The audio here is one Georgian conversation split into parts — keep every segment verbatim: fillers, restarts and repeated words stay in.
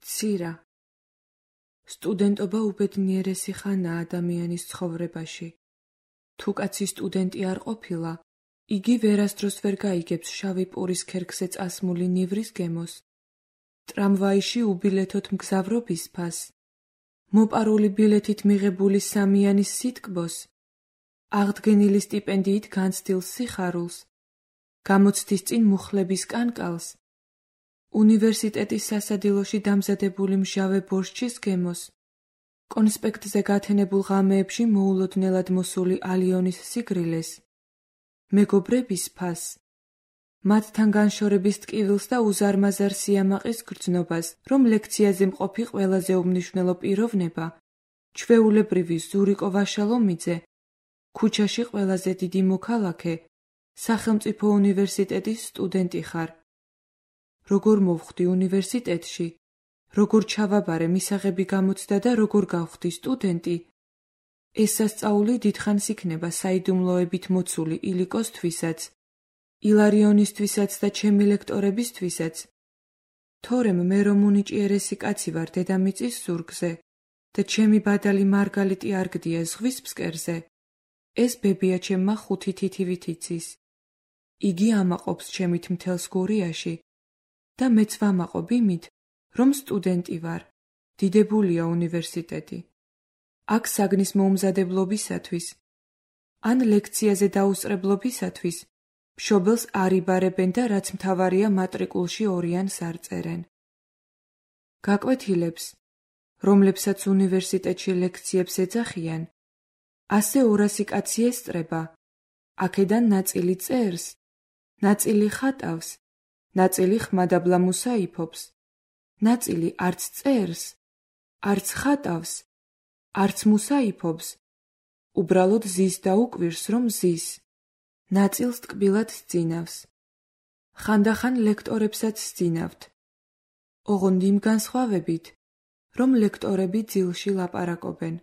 ცირა. სტუდენტობა უბედნიერესი ხანაა ადამიანის ცხოვრებაში. თუ კაცი სტუდენტი არ ყოფილა, იგი ვერასდროს ვერ გაიგებს შავი პურის ქერქზე წასმული ნივრის გემოს, ტრამვაიში უბილეთოთ მგზავრობის ფას, მოპარული ბილეთით მიღებული სამიანის სიტკბოს, აღდგენილი სტიპენდიით განცდილ სიხარულს, გამოცდის წინ მუხლების კანკალს, უნივერსიტეტის სასადილოში დამზადებული მჟავე ბორშჩის გემოს, კონსპექტზე გათენებულ ღამეებში მოულოდნელად მოსული ალიონის სიგრილეს, მეგობრების ფასს, მათთან განშორების ტკივილს და უზარმაზარ სიამაყის გრძნობას, რომ ლექციაზე მყოფი ყველაზე უმნიშვნელო პიროვნება, ჩვეულებრივი ზურიკო ვაშალომიძე, ქუჩაში ყველაზე დიდი მოქალაქე, სახელმწიფო უნივერსიტეტის სტუდენტი ხარ. როგორ მოვხვდი უნივერსიტეტში, როგორ ჩავაბარე მისაღები გამოცდა და როგორ გავხდი სტუდენტი, ეს სასწაული დიდხანს იქნება საიდუმლოებით მოცული ილიკოსთვისაც, ილარიონისთვისაც და ჩემი ლექტორებისთვისაც, თორემ მე რომ უნიჭიერესი კაცი ვარ დედამიწის ზურგზე და ჩემი ბადალი მარგალიტი არ გდია ზღვის ფსკერზე, ეს ბებია ჩემმა ხუთი თითივით იცის. იგი ამაყობს ჩემით მთელს გურიაში და მეც ვამაყობ იმით, რომ სტუდენტი ვარ, დიდებულია უნივერსიტეტი. აქ საგნის მოუმზადებლობისათვის, ან ლექციაზე დაუსწრებლობისათვის, მშობელს არ იბარებენ და რაც მთავარია მატრიკულში ორიანს არ წერენ. გაკვეთილებს, რომლებსაც უნივერსიტეტში ლექციებს ეძახიან, ასე ორასი კაცი ესწრება, აქედან ნაწილი წერს, ნაწილი ხატავს, ნაწილი ხმადაბლა მუსაიფობს, ნაწილი არც წერს, არც ხატავს, არც მუსაიფობს, უბრალოდ ზის და უკვირს რომ ზის, ნაწილს ტკბილად სძინავს. ხანდახან ლექტორებსაც სძინავთ. ოღონდ იმ განსხვავებით, რომ ლექტორები ძილში ლაპარაკობენ.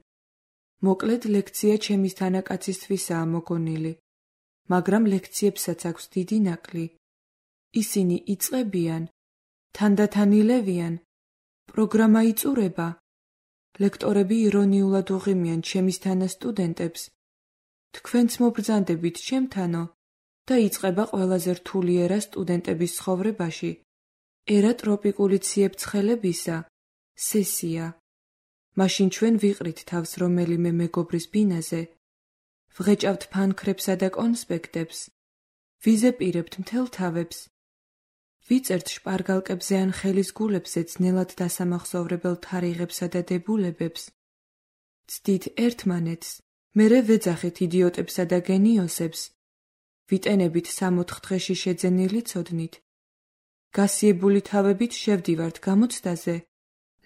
მოკლედ ლექცია ჩემის თანაკაცისთვისაა მოგონილი, მაგრამ ლექციებსაც აქვს დიდი ნაკლი. ისინი იწყებიან, თანდათან ილევიან, პროგრამა იწურება. ლექტორები ირონიულად უღიმიან ჩემის თანასტუდენტებს. თქვენც მობრძანდებით ჩემთანო და იწყება ყველაზე რთული ერა სტუდენტების ცხოვრებაში, ერა ტროპიკული ციებ-ცხელებისა, სესია. მაშინ ჩვენ ვიყრით თავს რომელიმე მეგობრის ბინაზე, ვღეჭავთ ფანქრებსა და კონსპექტებს, ვიზეპირებთ მთელ თავებს, ვიწერთ შპარგალკებზე ან ხელის გულებზე ძნელად დასამახსოვრებელ თარიღებსა და დებულებებს, ცდით ერთმანეთს, მერე ვეძახით იდიოტებსა და გენიოსებს, ვიტენებით სამოთხ დღეში შეძენილი ცოდნით, გასიებული თავებით შევდივართ გამოცდაზე,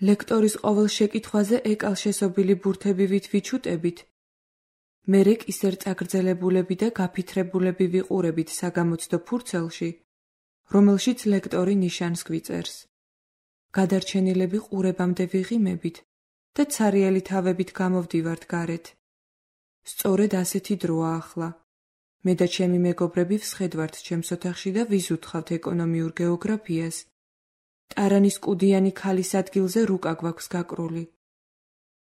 ლექტორის ყოველ შეკითხვაზე ეკალშესობილი ბურთებივით ვიჩუტებით, მერე კისერ წაგრძელებულები და გაფითრებულები ვიყურებით საგამოცდო ფურცელში, რომელშიც ლექტორი ნიშანს გვიწერს. გადარჩენილები ყურებამდე ვიღიმებით და ცარიელი თავებით გამოვდივართ გარეთ. სწორედ ასეთი დროა ახლა. მე და ჩემი მეგობრები ვსხედვართ ჩემს ოთახში და ვიზუთხავთ ეკონომიურ გეოგრაფიას. ტარანის კუდიანი ქალის ადგილზე რუკა გვაქვს გაკრული.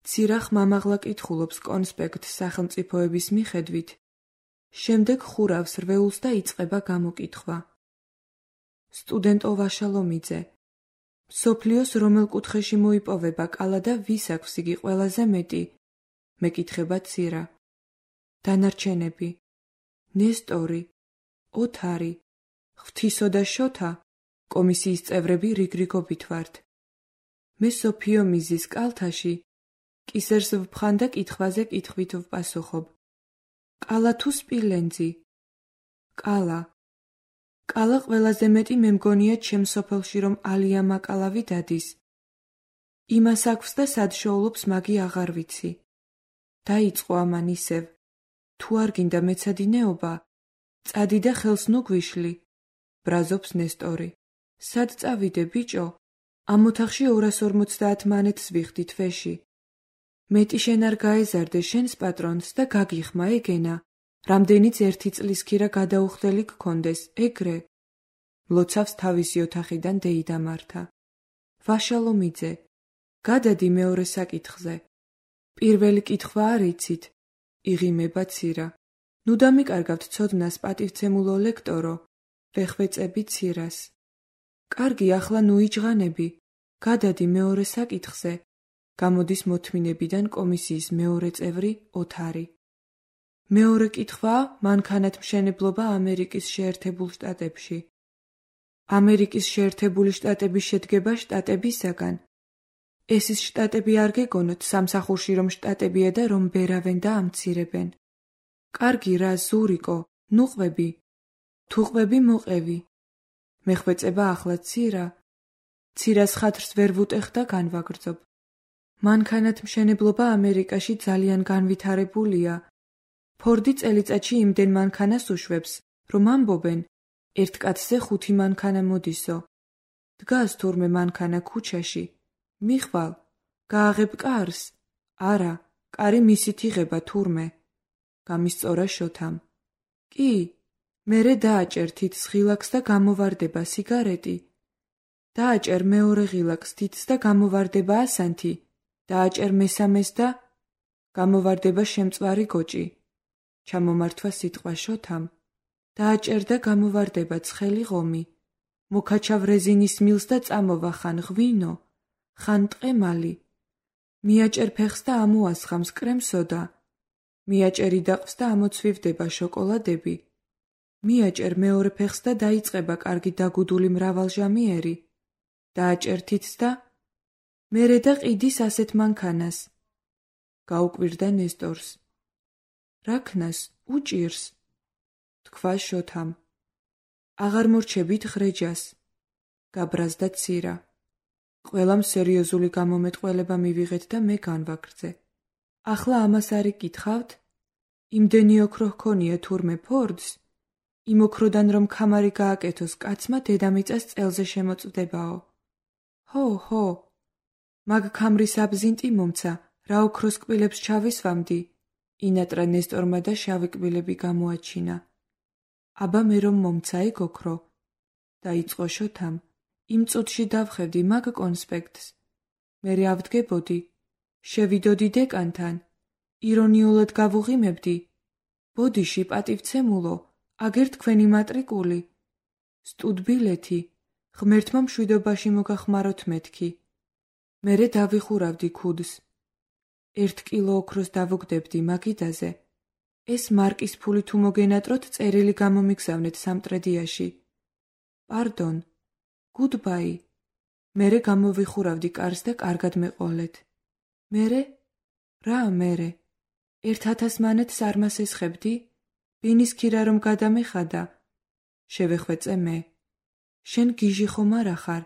ცირახ მამაღლა კითხულობს კონსპექტს სახელმწიფოების მიხედვით. შემდეგ ხურავს რვეულს და იწყება გამოკითხვა. სტუდენტო ვაშალომიძე, მსოფლიოს რომელ კუთხეში მოიპოვება კალა და ვის აქვს იგი ყველაზე მეტი? მეკითხება ცირა. დანარჩენები. ნესტორი, ოთარი, ღვთისო და შოთა, კომისიის წევრები რიგრიგობით ვართ. მე სოფიო მიზის კალთაში, კისერს ვფხან და კითხვაზე კითხვით ვპასუხობ. კალა თუ სპილენძი? კალა. კალა ყველაზე მეტი მე მგონია ჩემ სოფელში რომ ალია მაკალავი დადის. იმას აქვს და სად შოულობს მაგი აღარ ვიცი. დაიწყო ამან ისევ. თუ არ გინდა მეცადინეობა, წადი და ხელს ნუ გვიშლი, ბრაზობს ნესტორი. სად წავიდე, ბიჭო? ამ ოთახში ორას ორმოცდაათ მანეთს ვიხდი თვეში. მეტი შენ არ გაეზარდე შენს პატრონს და გაგიხმა ეგენა, რამდენიც ერთი წლის ქირა გადაუხდელი გქონდეს, ეგრე. მლოცავს თავისი ოთახიდან დეიდა მართა. ვაშალომიძე, გადადი მეორე საკითხზე. პირველი კითხვა არ იცით? იღიმება ცირა. ნუ დამიკარგავთ ცოდნას პატივცემულო ლექტორო, ვეხვეწები ცირას. კარგი, ახლა ნუ იჯღანები, გადადი მეორე საკითხზე. გამოდის მოთმინებიდან კომისიის მეორე წევრი ოთარი. მეორე კითხვაა მანქანათმშენებლობა ამერიკის შეერთებულ შტატებში. ამერიკის შეერთებული შტატების შედგება შტატებისაგან. ეს ის შტატები არ გეგონოთ სამსახურში რომ შტატებია და რომ ბერავენ და ამცირებენ. კარგი რა, ზურიკო, ნუ ყვები. თუ ყვები მოყევი. მეხვეწება ახლა ცირა. ცირას ხათრს ვერ ვუტეხ და განვაგრძობ. მანქანათმშენებლობა ამერიკაში ძალიან განვითარებულია. ფორდი წელიწადში იმდენ მანქანას უშვებს, რომ ამბობენ, ერთ კაცზე ხუთი მანქანა მოდისო. დგას თურმე მანქანა ქუჩაში. მიხვალ, გააღებ კარს. არა, კარი მისით იღება თურმე. გამისწორა შოთამ. კი, მერე დააჭერ თითს ღილაკს და გამოვარდება სიგარეტი. დააჭერ მეორე ღილაკს თითს და გამოვარდება ასანთი. დააჭერ მესამეს და გამოვარდება შემწვარი გოჭი. ჩამომართვა სიტყვა შოთამ. დააჭერ და გამოვარდება ცხელი ღომი. მოკაჩავ რეზინის მილს და წამოვა ხან ღვინო, ხან ტყემალი. მიაჭერ ფეხს და ამოასხამს კრემსოდა. მიაჭერი დაყს და ამოცვივდება შოკოლადები. მიაჭერ მეორე ფეხს და დაიწყება კარგი დაგუდული მრავალჟამიერი. დააჭერ თითს და მერე და ყიდის ასეთ მანქანას. გაუკვირდა ნესტორს. რაქნას უჭირს? თქვა შოთამ. აღარ მორჩებით ღრეჯას. გაბრაზდა ცირა. ყველამ სერიოზული გამომეტყველება მივიღეთ და მე განვაგრძე. ახლა ამას არ იკითხავთ? იმდენი ოქრო ჰქონია თურმე ფორდს? იმ ოქროდან რომ ქამარი გააკეთოს კაცმა დედამიწას წელზე შემოწვდებაო. ჰო, ჰო. მაგ ქამრის აბზინტი მომცა, რა ოქროს კბილებს ჩავისვამდი. ინატრა ნესტორმა და შავი კბილები გამოაჩინა. აბა მე რომ მომცა ეგ ოქრო. დაიწყო შოთამ. იმ წუთში დავხედი მაგ კონსპექტს. მერე ავდგებოდი. შევიდოდი დეკანთან. ირონიულად გავუღიმებდი. ბოდიში პატივცემულო, აგერ თქვენი მატრიკული. სტუდბილეთი. ღმერთმა მშვიდობაში მოგახმაროთ მეთქი. მერე დავიხურავდი ქუდს. ერთ კილო ოქროს დავუგდებდი მაგიდაზე. ეს მარკის ფული თუ მოგენატროთ წერილი გამომიგზავნეთ სამტრედიაში. პარდონ. გუდბაი. მერე გამოვიხურავდი კარს და კარგად მეყოლეთ. მერე? რა მერე? ერთ ათას მანეთს არ მას ესხებდი? ბინის ქირა რომ გადამეხადა. შევეხვეწე მე. შენ გიჟი ხომ არა ხარ?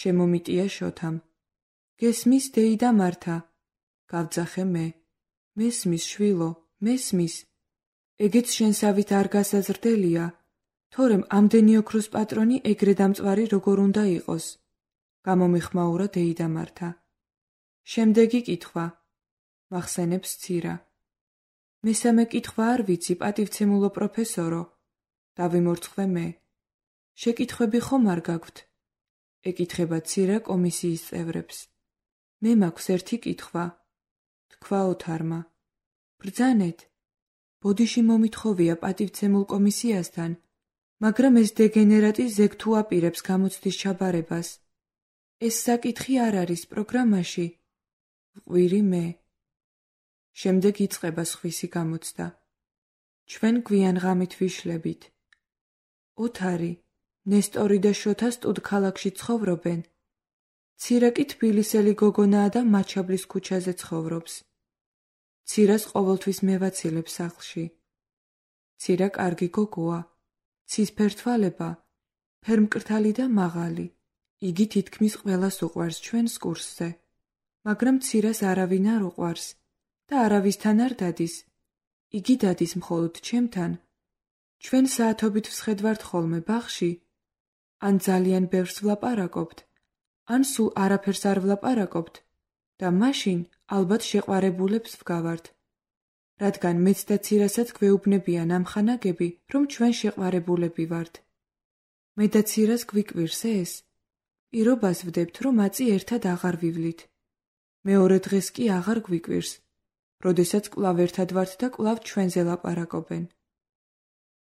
შემომიტია შოთამ. გესმის დეიდა მართა? გავძახე მე. მესმის შვილო, მესმის. ეგეც შენსავით არ გასაზრდელია, თორემ ამდენი ოქროს პატრონი ეგრე დამწვარი როგორ უნდა იყოს. გამომიხმაურა დეიდა მართა. შემდეგი კითხვა. მახსენებს ცირა. მესამე კითხვა არ ვიცი, პატივცემულო პროფესორო. დავიმორცხვე მე. შეკითხვები ხომ არ გაგვთ? ეკითხება ცირა კომისიის წევრებს. მე მაქვს ერთი კითხვა. თქვა ოთარმა. ბრძანეთ. ბოდიში მომითხოვია პატივცემულ კომისიასთან, მაგრამ ეს დეგენერატი ზეგ თუ აპირებს გამოცდის ჩაბარებას. ეს საკითხი არ არის პროგრამაში. ვყვირი მე. შემდეგ იწყება სხვისი გამოცდა. ჩვენ გვიან ღამით ვიშლებით. ოთარი, ნესტორი და შოთა სტუდ ქალაქში ცხოვრობენ. ცირა კი თბილისელი გოგონაა და მაჩაბლის ქუჩაზე ცხოვრობს. ცირას ყოველთვის მევაცილებ სახლში. ცირა კარგი გოგოა, ცისფერ თვალება, ფერმკრთალი და მაღალი. იგი თითქმის ყველას უყვარს ჩვენს კურსზე, მაგრამ ცირას არავინ არ უყვარს და არავისთან არ დადის. იგი დადის მხოლოდ ჩემთან. ჩვენ საათობით ვსხედვართ ხოლმე ბაღში. ან ძალიან ბევრს ვლაპარაკობთ, ან სულ არაფერს არ ვლაპარაკობთ და მაშინ ალბათ შეყვარებულებს ვგავართ. რადგან მეც და ცირასაც გვეუბნებიან ამხანაგები, რომ ჩვენ შეყვარებულები ვართ. მე და ცირას გვიკვირს ეს. პირობას ვდებთ, რომ აწი ერთად აღარ ვივლით. მეორე დღეს კი აღარ გვიკვირს, როდესაც კვლავ ერთად ვართ და კვლავ ჩვენზე ლაპარაკობენ.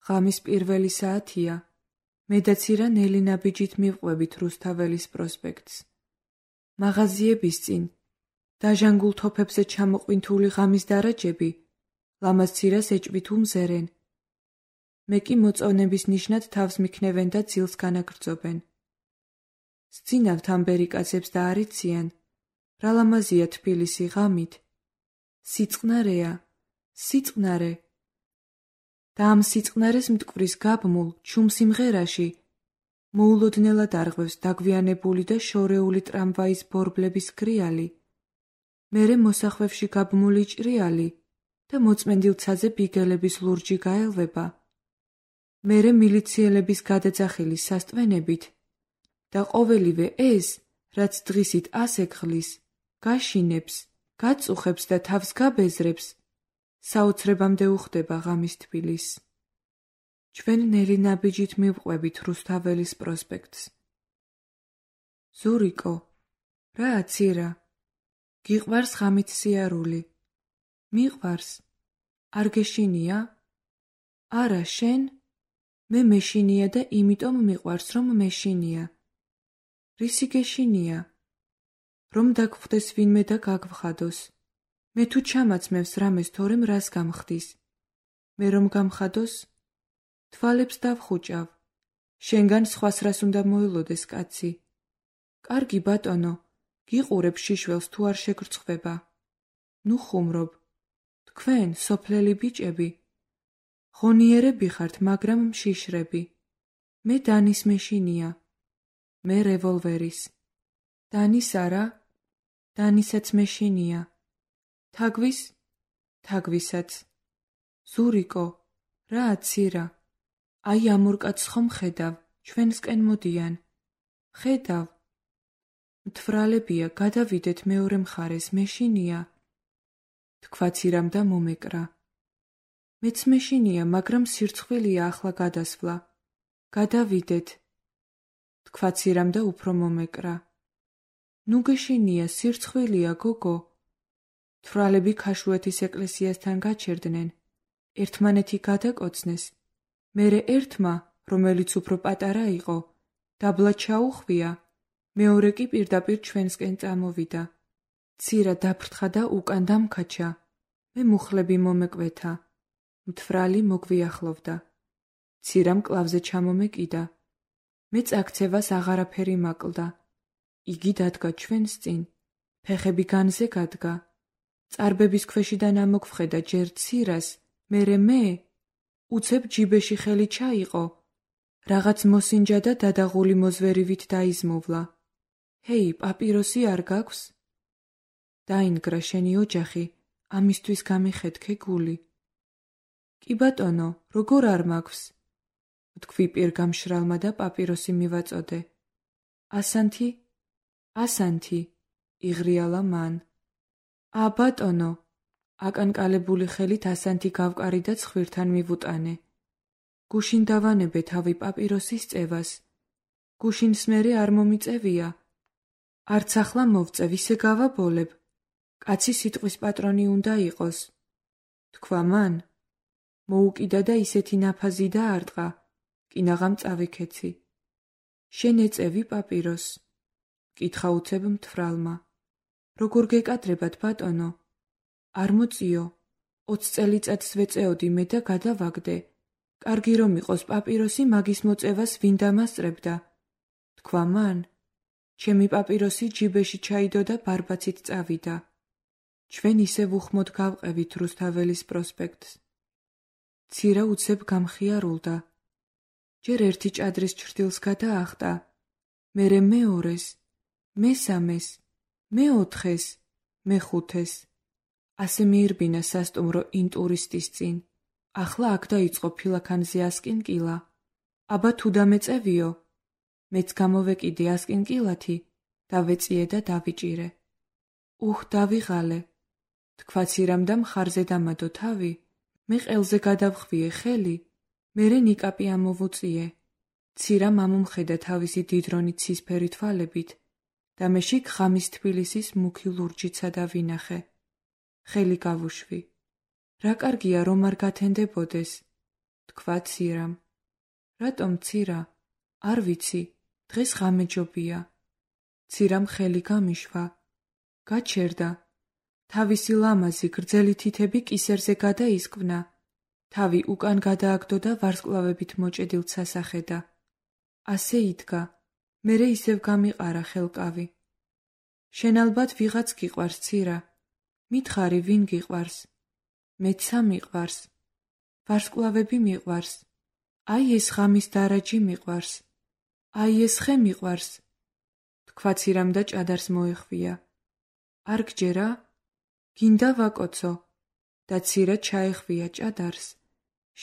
ღამის პირველი საათია. მე და ცირა ნელი ნაბიჯით მივყვებით რუსთაველის პროსპექტს. მაღაზიების წინ, დაჟანგულ თოფებზე ჩამოყვინთული ღამის დარაჯები, ლამაზ ცირას ეჭვით უმზერენ. მე კი მოწონების ნიშნად თავს მიქნევენ და ძილს განაგრძობენ. სძინავთ ამბერიკაცებს და არიციან, რა ლამაზია თბილისი ღამით. სიწყნარეა, სიწყნარე. და ამ სიწყნარეს მტკვრის გაბმულ, ჩუმ სიმღერაში მოულოდნელად არღვევს დაგვიანებული და შორეული ტრამვაის ბორბლების გრიალი, მერე მოსახვევში გაბმული ჭრიალი და მოწმენდილცაზე ბიგელების ლურჯი გაელვება, მერე მილიციელების გადაძახილი სასტვენებით და ყოველივე ეს, რაც დღისით ასექხლის, გაშინებს, გაწუხებს და თავს გაბეზრებს, საოცრებამდე უხდება ღამის თბილისს. ჩვენ ნელი ნაბიჯით მივყვებით რუსთაველის პროსპექტს. ზურიკო, რა აცირა? გიყვარს ღამით სიარული? მიყვარს? არ გეშინია? არა, შენ? მე მეშინია და იმიტომ მიყვარს, რომ მეშინია. რისი გეშინია? რომ დაგხვდეს ვინმე და გაგვხადოს. მე თუ ჩამაცმევს რამეს თორემ რას გამხდის. მე რომ გამხადოს, თვალებს დავხუჭავ. შენგან სხვას რას უნდა მოელოდეს კაცი. კარგი ბატონო, გიყურებ შიშველს თუ არ შეგრცხვება. ნუ ხუმრობ. თქვენ, სოფლელი ბიჭები, ღონიერები ხართ, მაგრამ მშიშრები. მე დანის მეშინია. მე რევოლვერის. დანის არა? დანისაც მეშინია. თაგვის? თაგვისაც. ზურიკო, რა აცირა? აი ამ ორ კაცს ხომ ხედავ, ჩვენსკენ მოდიან. ხედავ. მთვრალებია, გადავიდეთ მეორე მხარეს, მეშინია. თქვა ცირამ და მომეკრა. მეც მეშინია, მაგრამ სირცხვილია ახლა გადასვლა. გადავიდეთ. თქვა ცირამ და უფრო მომეკრა. ნუ გეშინია, სირცხვილია, გოგო. მთვრალები ქაშუეთის ეკლესიასთან გაჩერდნენ, ერთმანეთი გადაკოცნეს, მერე ერთმა, რომელიც უფრო პატარა იყო, დაბლა ჩაუხვია, მეორე კი პირდაპირ ჩვენსკენ წამოვიდა. ცირა დაფრთხა და უკან დამქაჩა, მე მუხლები მომეკვეთა, მთვრალი მოგვიახლოვდა. ცირამ კლავზე ჩამომეკიდა, მე წაქცევას აღარაფერი მაკლდა. იგი დადგა ჩვენს წინ, ფეხები განზე გადგა. წარბების ქვეშიდან ამოგвხედა ჯერ ცირას, მერე მე, უცებ ჯიბეში ხელი ჩაიყო, რაღაც მოსინჯა და დადაღული მოზვერივით დაიზმოვლა. ჰეი, პაპიროსი არ გაქვს? დაინგრა შენი ოჯახი, ამისთვის გამიხეთქე გული. კი ბატონო, როგორ არ მაქვს? თქვი პირგამშრალმა და პაპიროსი მივაწოდე. ასანთი? ასანთი, იღრიალა მან. ა ბატონო, აკანკალებული ხელით ასანთი გავკარი და ცხვირთან მივუტანე. გუშინ დავანებე თავი პაპიროსის წევას. გუშინს მერე არ მომიწევია. არც ახლა მოვწევ, ისე გავაბოლებ. კაცი სიტყვის პატრონი უნდა იყოს. თქვა მან. მოუკიდა და ისეთი ნაფაზი დაარტყა, კინაღამ წავიქეცი. შენ ეწევი პაპიროს? კითხა უცებ მთვრალმა. როგორ გეკადრებათ, ბატონო? არ მოწიო, ოც წელიწადს ვეწეოდი მე და გადავაგდე. კარგი რომ იყოს პაპიროსი მაგის მოწევას ვინ დამასწრებდა. თქვა მან. ჩემი პაპიროსი ჯიბეში ჩაიდო და ბარბაცით წავიდა. ჩვენ ისევ უხმოდ გავყევით რუსთაველის პროსპექტს. ცირა უცებ გამხიარულდა. ჯერ ერთი ჭადრის ჩრდილს გადაახტა, მერე მეორეს, მესამეს, მეოთხეს, მეხუთეს. ასე მიირბინა სასტუმრო ინტურისტის წინ. ახლა აქ დაიწყო ფილაქანზე ასკინკილა. აბა თუ დამეწევიო? მეც გამოვეკიდე ასკინკილათი, დავეწიე და დავიჭირე. უხ, დავიღალე. თქვა ცირამ და მხარზე დამადო თავი, მე ყელზე გადავხვიე ხელი, მერე ნიკაპი ამოვუწიე. ცირამ ამომხედა თავისი დიდრონი ცისფერი თვალებით და მე შიგ ღამის თბილისის მუქი ლურჯიცა დავინახე. ხელი გავუშვი. რა კარგია რომ არ გათენდებოდეს, თქვა ცირამ. რატომ ცირა? არ ვიცი, დღეს ღამეჯობია. ცირამ ხელი გამიშვა. გაჩერდა. თავისი ლამაზი გრძელი თითები კისერზე გადაისკვნა. თავი უკან გადააგდო და ვარსკვლავებით მოჭედილ სასახედა. ასე იდგა. მერე ისევ გამიყარა ხელკავი. შენ ალბათ ვიღაც გიყვარს, ცირა. მითხარი, ვინ გიყვარს? მეცა მიყვარს. ვარსკვლავები მიყვარს. აი ეს ღამის დარაჯი მიყვარს. აი ეს ხე მიყვარს. თქვა ცირამ და ჭადარს მოეხვია. არ გჯერა? გინდა ვაკოცო. და ცირა ჩაეხვია ჭადარს.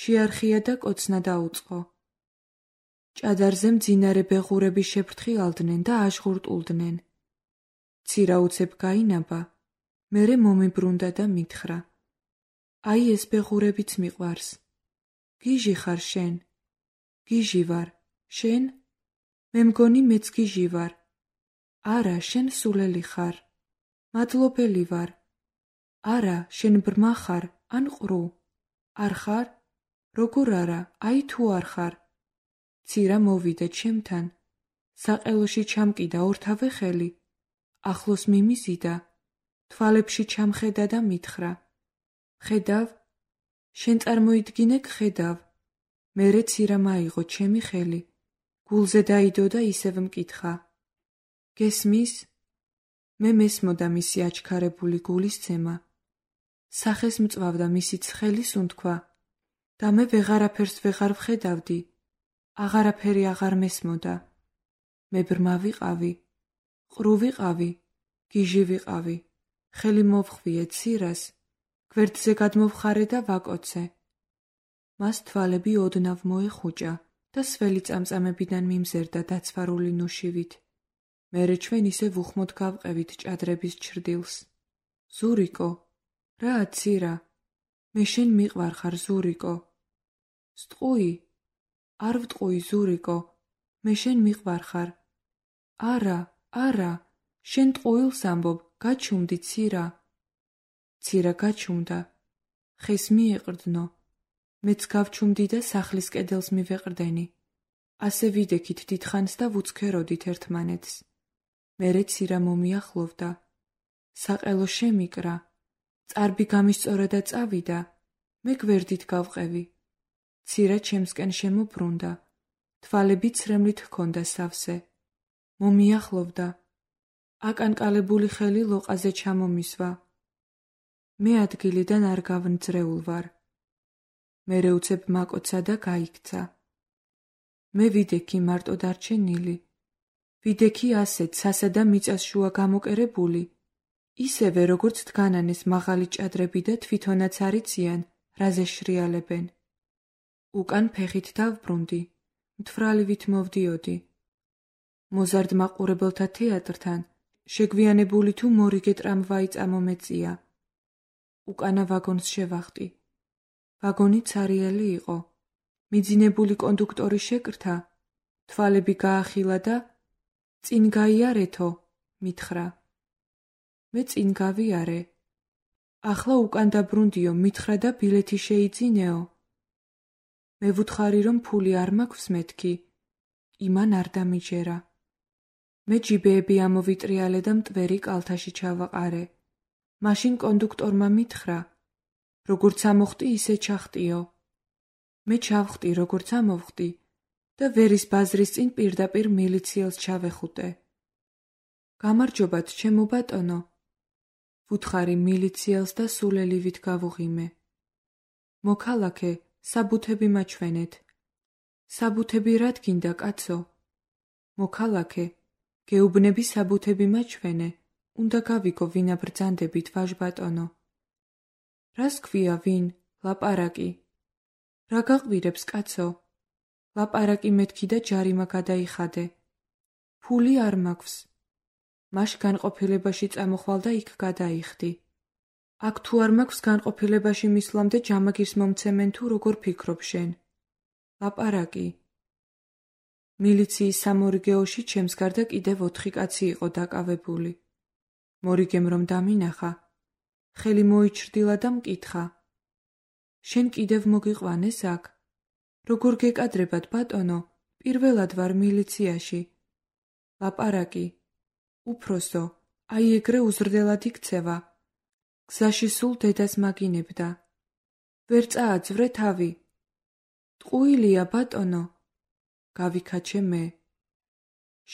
შეარხია და კოცნა დაუწყო. ჭადარზე მძინარე ბეღურები შეფრთხილავდნენ და აშღურტულდნენ. ცირა უცებ გაინაბა, მერე მომიბრუნდა და მითხრა. აი ეს ბეღურებიც მიყვარს. გიჟი ხარ შენ? გიჟი ვარ. შენ? მე მგონი მეც გიჟი ვარ. არა, შენ სულელი ხარ. მადლობელი ვარ. არა, შენ ბრმა ხარ, ან ყრუ. არ ხარ? როგორ არა, აი თუ არ ხარ. ცირა მოვიდა ჩემთან. საყელოში ჩამკიდა ორთავე ხელი. ახლოს მიმიზიდა. თვალებში ჩამხედა და მითხრა. ხედავ? შენ წარმოიდგინე გხედავ. მერე ცირამ აიღო ჩემი ხელი. გულზე დაიდო და ისევ მკითხა. გესმის? მე მესმოდა მისი აჩქარებული გულის ცემა. სახეს მწვავდა მისი ცხელი სუნთქვა და მე ვეღარაფერს ვეღარ ვხედავდი. აღარაფერი აღარ მესმოდა. მე ბრმა ვიყავი. ყრუ ვიყავი. გიჟი ვიყავი. ხელი მოვხვიე ცირას. გვერდზე გადმოვხარე და ვაკოცე. მას თვალები ოდნავ მოეხუჭა და სველი წამწამებიდან მიმზერდა დაცვარული ნუშივით. მერე ჩვენ ისევ უხმოდ გავყევით ჭადრების ჩრდილს. ზურიკო, რა ცირა? მე შენ მიყვარხარ, ზურიკო. სტყუი? არ ვტყუი, ზურიკო. მე შენ მიყვარხარ. არა, არა, შენ ტყუილს ამბობ, გაჩუმდი ცირა. ცირა გაჩუმდა. ხეს მიეყრდნო. მეც გავჩუმდი და სახლის კედელს მივეყრდენი. ასე ვიდექით დიდხანს და ვუცქეროდით ერთმანეთს. მერე ცირა მომიახლოვდა. საყელო შემიკრა. წარბი გამისწორა და წავიდა. მე გვერდით გავყევი. ცირა ჩემსკენ შემობრუნდა. თვალები ცრემლით ჰქონდა სავსე. მომიახლოვდა. აკანკალებული ხელი ლოყაზე ჩამომისვა. მე ადგილიდან არ გავნძრეულ ვარ. მერე უცებ მაკოცა და გაიქცა. მე ვიდექი მარტო დარჩენილი. ვიდექი ასეთ სასა და მიწას შუა გამოკერებული. ისევე როგორც დგანანეს მაღალი ჭადრები და თვითონაც არიციან, რაზე შრიალებენ. უკან ფეხით დავბრუნდი. მთვრალივით მოვდიოდი. მოზარდ მაყურებელთა თეატრთან შეგვიანებული თუ მორიგე ტრამვაი წამომეწია. უკანა ვაგონს შევახტი. ვაგონი ცარიელი იყო. მიძინებული კონდუქტორი შეკრთა, თვალები გაახილა და წინ გაიარეთო, მითხრა. მე წინ გავიარე. ახლა უკან დაბრუნდიო, მითხრა და ბილეთი შეიძინეო. მე ვუთხარი რომ ფული არ მაქვს მეთქი. იმან არ დამიჯერა. მე ჯიბეები ამოვიტრიალე და მტვერი კალთაში ჩავაყარე. მაშინ კონდუქტორმა მითხრა, როგორც ამოხტი ისე ჩახტიო. მე ჩავხტი როგორც ამოვხტი და ვერის ბაზრის წინ პირდაპირ მილიციელს ჩავეხუტე. გამარჯობათ, ჩემო ბატონო. ვუთხარი მილიციელს და სულელივით გავუღიმე. მოქალაქე, საბუთები მაჩვენეთ. საბუთები რად გინდა, კაცო? მოქალაქე, გეუბნები საბუთები მაჩვენე. უნდა გავიგო ვინა ბრძანდებით, ვაჟბატონო. რას ქვია ვინ? ლაპარაკი. რა გაყვირებს, კაცო? ლაპარაკი მეთქი და ჯარიმა გადაიხადე. ფული არ მაქვს. მაშ განყოფილებაში წამოხვალ და იქ გადაიხდი. აქ თუ არ მაქვს განყოფილებაში მისვლამდე ჯამაგირს მომცემენ თუ როგორ ფიქრობ შენ? ლაპარაკი. მილიციის სამორიგეოში ჩემს გარდა კიდევ ოთხი კაცი იყო დაკავებული. მორიგემ რომ დამინახა, ხელი მოიჩრდილა და მკითხა: შენ კიდევ მოგიყვანეს აქ? როგორ გეკადრებათ, ბატონო, პირველად ვარ მილიციაში. ლაპარაკი, უფროსო, აი ეგრე უზრდელად იქცევა. გზაში სულ დედას მაგინებდა. ვერ წააძვრე თავი. ტყუილია, ბატონო. გავიქაჩე მე.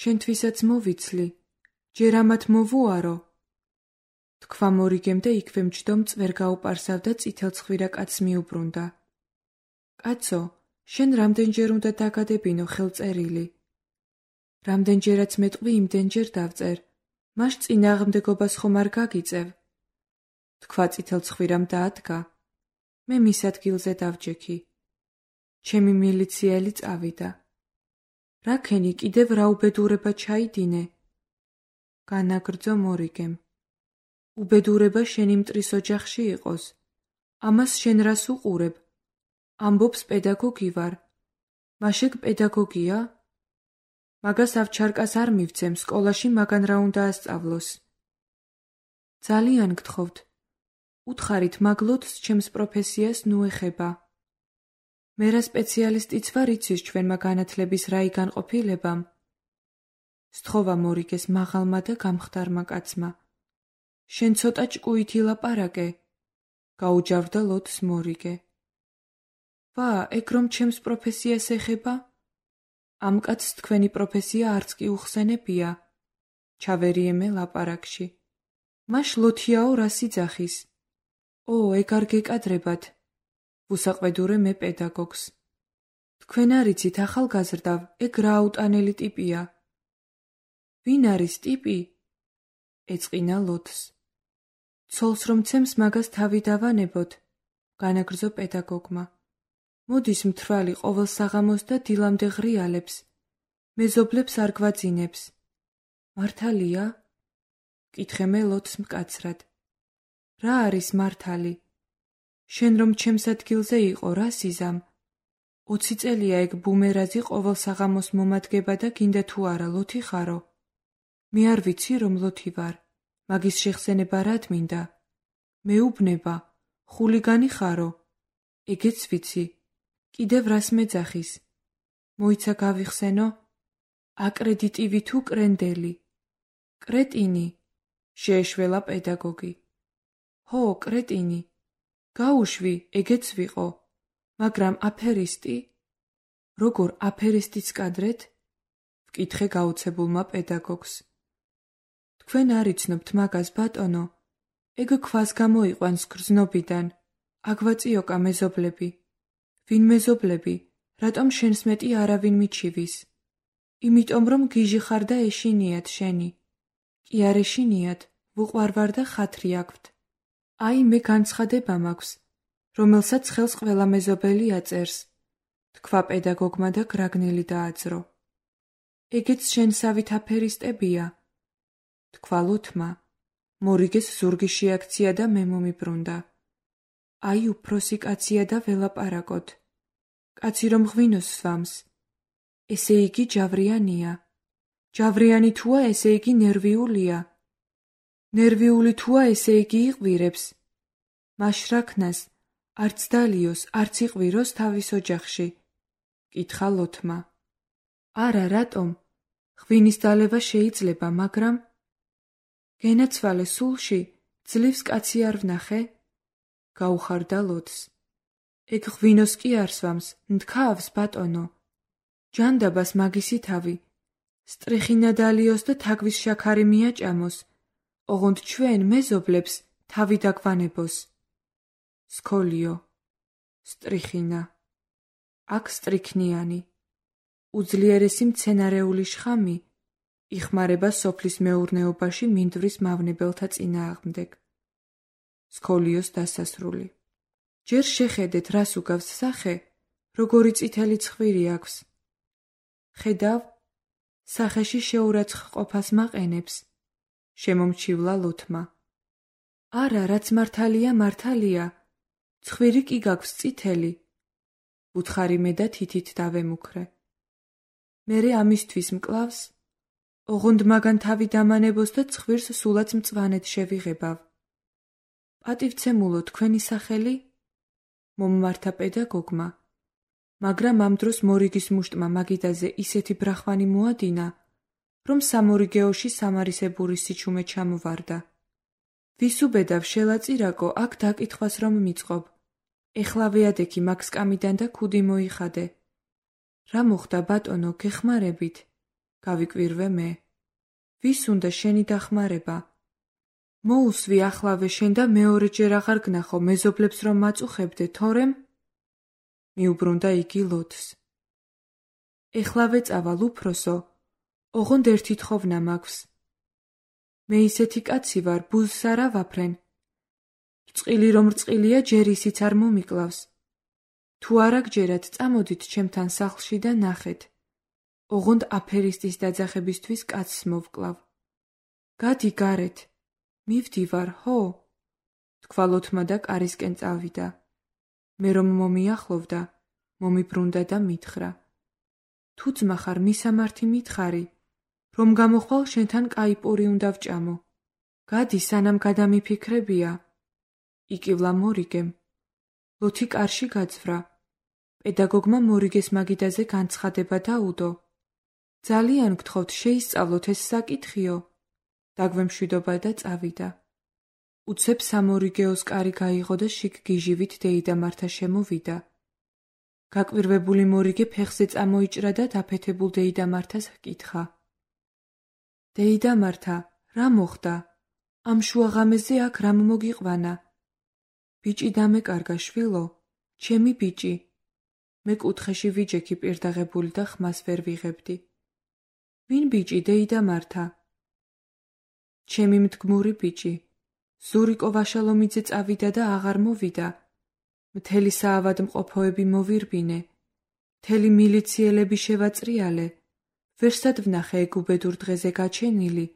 შენთვისაც მოვიცლი, ჯერ ამათ მოვუარო. თქვა მორიგემ და იქვე მჯდომ წვერ გაუპარსავდა წითელცხვირა კაცს მიუბრუნდა. კაცო, შენ რამდენჯერ უნდა დაგადებინო ხელწერილი? რამდენჯერაც მეტყვი იმდენჯერ დავწერ, მას წინააღმდეგობას ხომ არ გაგიწევ? თქვა წითელცხვირამ და ადგა. მე მის ადგილზე დავჯექი. ჩემი მილიციელი წავიდა. რაქენი კიდევ რა უბედურება ჩაიდინე? განაგრძო მორიგემ. უბედურება შენი მტრის ოჯახში იყოს. ამას შენ რას უყურებ? ამბობს პედაგოგი ვარ. მაშეგ პედაგოგია? მაგას ავჩარკას არ მივცემ, სკოლაში მაგან რა უნდა ასწავლოს. ძალიან გთხოვთ, უთხარით მაგლოთს ჩემს პროფესიას ნუ ეხება. მე რა სპეციალისტიც ვარ იცის ჩვენმა განათლების რაი განყოფილებამ? სთხოვა მორიგეს მაღალმა და გამხდარმა კაცმა. შენ ცოტა ჭკუითი ლაპარაკე, გაუჯავდა ლოთს მორიგე. ვა, ეგ რომ ჩემს პროფესიას ეხება? ამ კაცს თქვენი პროფესია არც კი უხსენებია. ჩავერიემე ლაპარაკში. მაშ ლოთიაო რას იძახის? ო, ეგ არ გეკადრებათ. ვუსაყვედურე მე პედაგოგს. თქვენ არიცით ახალგაზრდავ, ეგ რა აუტანელი ტიპია. ვინ არის ტიპი? ეწყინა ლოთს. ცოლს რომ ცემს მაგას თავი დავანებოთ, განაგრძო პედაგოგმა. მოდის მთვრალი ყოველ საღამოს და დილამდე ღრიალებს. მეზობლებს არ გვაძინებს. მართალია? კითხე მე ლოთს მკაცრად. რა არის მართალი? შენ რომ ჩემს ადგილზე იყო, რა სიზამ? ოცი წელია ეგ ბუმერაზი ყოველ საღამოს მომადგება და გინდა თუ არა ლოთი ხარო? მე არ ვიცი რომ ლოთი ვარ. მაგის შეხსენება რად მინდა? მეუბნება, ხულიგანი ხარო? ეგეც ვიცი. კიდევ რას მეძახის? მოიცა გავიხსენო? აკრედიტივი თუ კრენდელი? კრეტინი, შეეშველა პედაგოგი. ჰო, კრეტინი. გაუშვი, ეგეც ვიყო. მაგრამ აფერისტი? როგორ აფერისტიც კადრეთ? ვკითხე გაუცებულმა პედაგოგს. თქვენ არ იცნობთ მაგას, ბატონო. ეგ ქვას გამოიყვანს გრძნობიდან. აგვაწიოკა მეზობლები. ვინ მეზობლები? რატომ შენს მეტი არავინ მიჩივის? იმიტომ რომ გიჟი ხარ და ეშინიათ შენი. კი არ ეშინიათ, ვუყვარვარ და ხათრი აქვთ. აი მე განცხადება მაქვს, რომელსაც ხელს ყველა მეზობელი აწერს. თქვა პედაგოგმა და გრაგნელი დააძრო. ეგეც შენსავით აფერისტებია. თქვა ლოთმა. მორიგეს ზურგი შეაქცია და მე მომიბრუნდა. აი უფროსი კაცია და ველაპარაკოთ. კაცი რომ ღვინოს სვამს. ესე იგი ჯავრიანია. ჯავრიანი თუა, ესე იგი ნერვიულია. ნერვიული თუა, ესე იგი იყვირებს. მაშ რა ქნას, არც დალიოს, არც იყვიროს თავის ოჯახში. კითხა ლოთმა. არა, რატომ? ღვინის დალევა შეიძლება, მაგრამ გენაცვალე სულში, ძლივს კაცი არ ვნახე? გაუხარდა ლოთს. ეგ ღვინოს კი არ სვამს, ნდქავს, ბატონო. ჯანდაბას მაგისი თავი. სტრიხინა დალიოს და თაგვის შაქარი მიაჭამოს. ოღონდ ჩვენ მეზობლებს თავი დაგვანებოს. სქოლიო. სტრიხინა. აქ სტრიქნიანი. უძლიერესი მცენარეული შხამი იხმარება სოფლის მეურნეობაში მინდვრის მავნებელთა წინააღმდეგ. სქოლიოს დასასრული. ჯერ შეხედეთ რას უგავს სახე, როგორი წითელი ცხვირი აქვს. ხედავ, სახეში შეურაცხყოფას მაყენებს. შემომჩივლა ლოთმა. არა, რაც მართალია, მართალია. ცხვირი კი გაქვს წითელი. უთხარი მე და თითით დავემუქრე. მერე ამისთვის მკლავს? ოღონდ მაგან თავი დამანებოს და ცხვირს სულაც მწვანედ შევიღებავ. პატივცემულო თქვენი სახელი? მომმართა პედაგოგმა, მაგრამ ამ დროს მორიგის მუშტმა მაგიდაზე ისეთი ბრახვანი მოადინა, რომ სამორიგეოში სამარისებური სიჩუმე ჩამოვარდა. ვის უბედავ შელაწირაკო, აქ დაკითხვას რომ მიწყობ. ეხლავე ადექი მაგ სკამიდან და ქუდი მოიხადე. რა მოხდა ბატონო, გეხმარებით? გავიკვირვე მე. ვის უნდა შენი დახმარება? მოუსვი ახლავე შენ და მეორეჯერ აღარ გნახო მეზობლებს რომ მაწუხებდე, თორემ? მიუბრუნდა იგი ლოთს. ეხლავე წავალ უფროსო, ოღონდ ერთი თხოვნა მაქვს. მე ისეთი კაცი ვარ, ბუზს არა ვაფრენ. რწყილი რომ რწყილია, ჯერ ისიც არ მომიკლავს. თუ არა გჯერათ, წამოდით ჩემთან სახლში და ნახეთ. ოღონდ აფერისტის დაძახებისთვის კაცს მოვკლავ. გადი გარეთ. მივდივარ, ხო? თქვა ლოთმა და კარისკენ წავიდა. მე რომ მომიახლოვდა, მომიბრუნდა და მითხრა. თუ ძმა ხარ, მისამართი მითხარი, რომ გამოხვალ შენთან კაი პური უნდა ვჭამო. გადი, სანამ გადამიფიქრებია. იკივლა მორიგემ. ლოთი კარში გაძვრა. პედაგოგმა მორიგეს მაგიდაზე განცხადება დაუდო. ძალიან გთხოვთ, შეისწავლოთ ეს საკითხიო. დაგვემშვიდობა და წავიდა. უცებ სამორიგეოს კარი გაიღო და შიგ გიჟივით დეიდა მართა შემოვიდა. გაკვირვებული მორიგე ფეხზე წამოიჭრა და დაფეთებულ დეიდა მართას ჰკითხა. დეიდა მართა, რა მოხდა? ამ შუაღამეზე აქ რამ მოგიყვანა? ბიჭი დამეკარგა შვილო, ჩემი ბიჭი. მე კუთხეში ვიჯექი პირდაღებული და ხმას ვერ ვიღებდი. ვინ ბიჭი, დეიდა მართა? ჩემი მდგმური ბიჭი. ზურიკო ვაშალომიძე წავიდა და აღარ მოვიდა. მთელი საავადმყოფოები მოვირბინე. მთელი მილიციელები შევაწრიალე. ვერსად ვნახე ეგ უბედურ დღეზე გაჩენილი.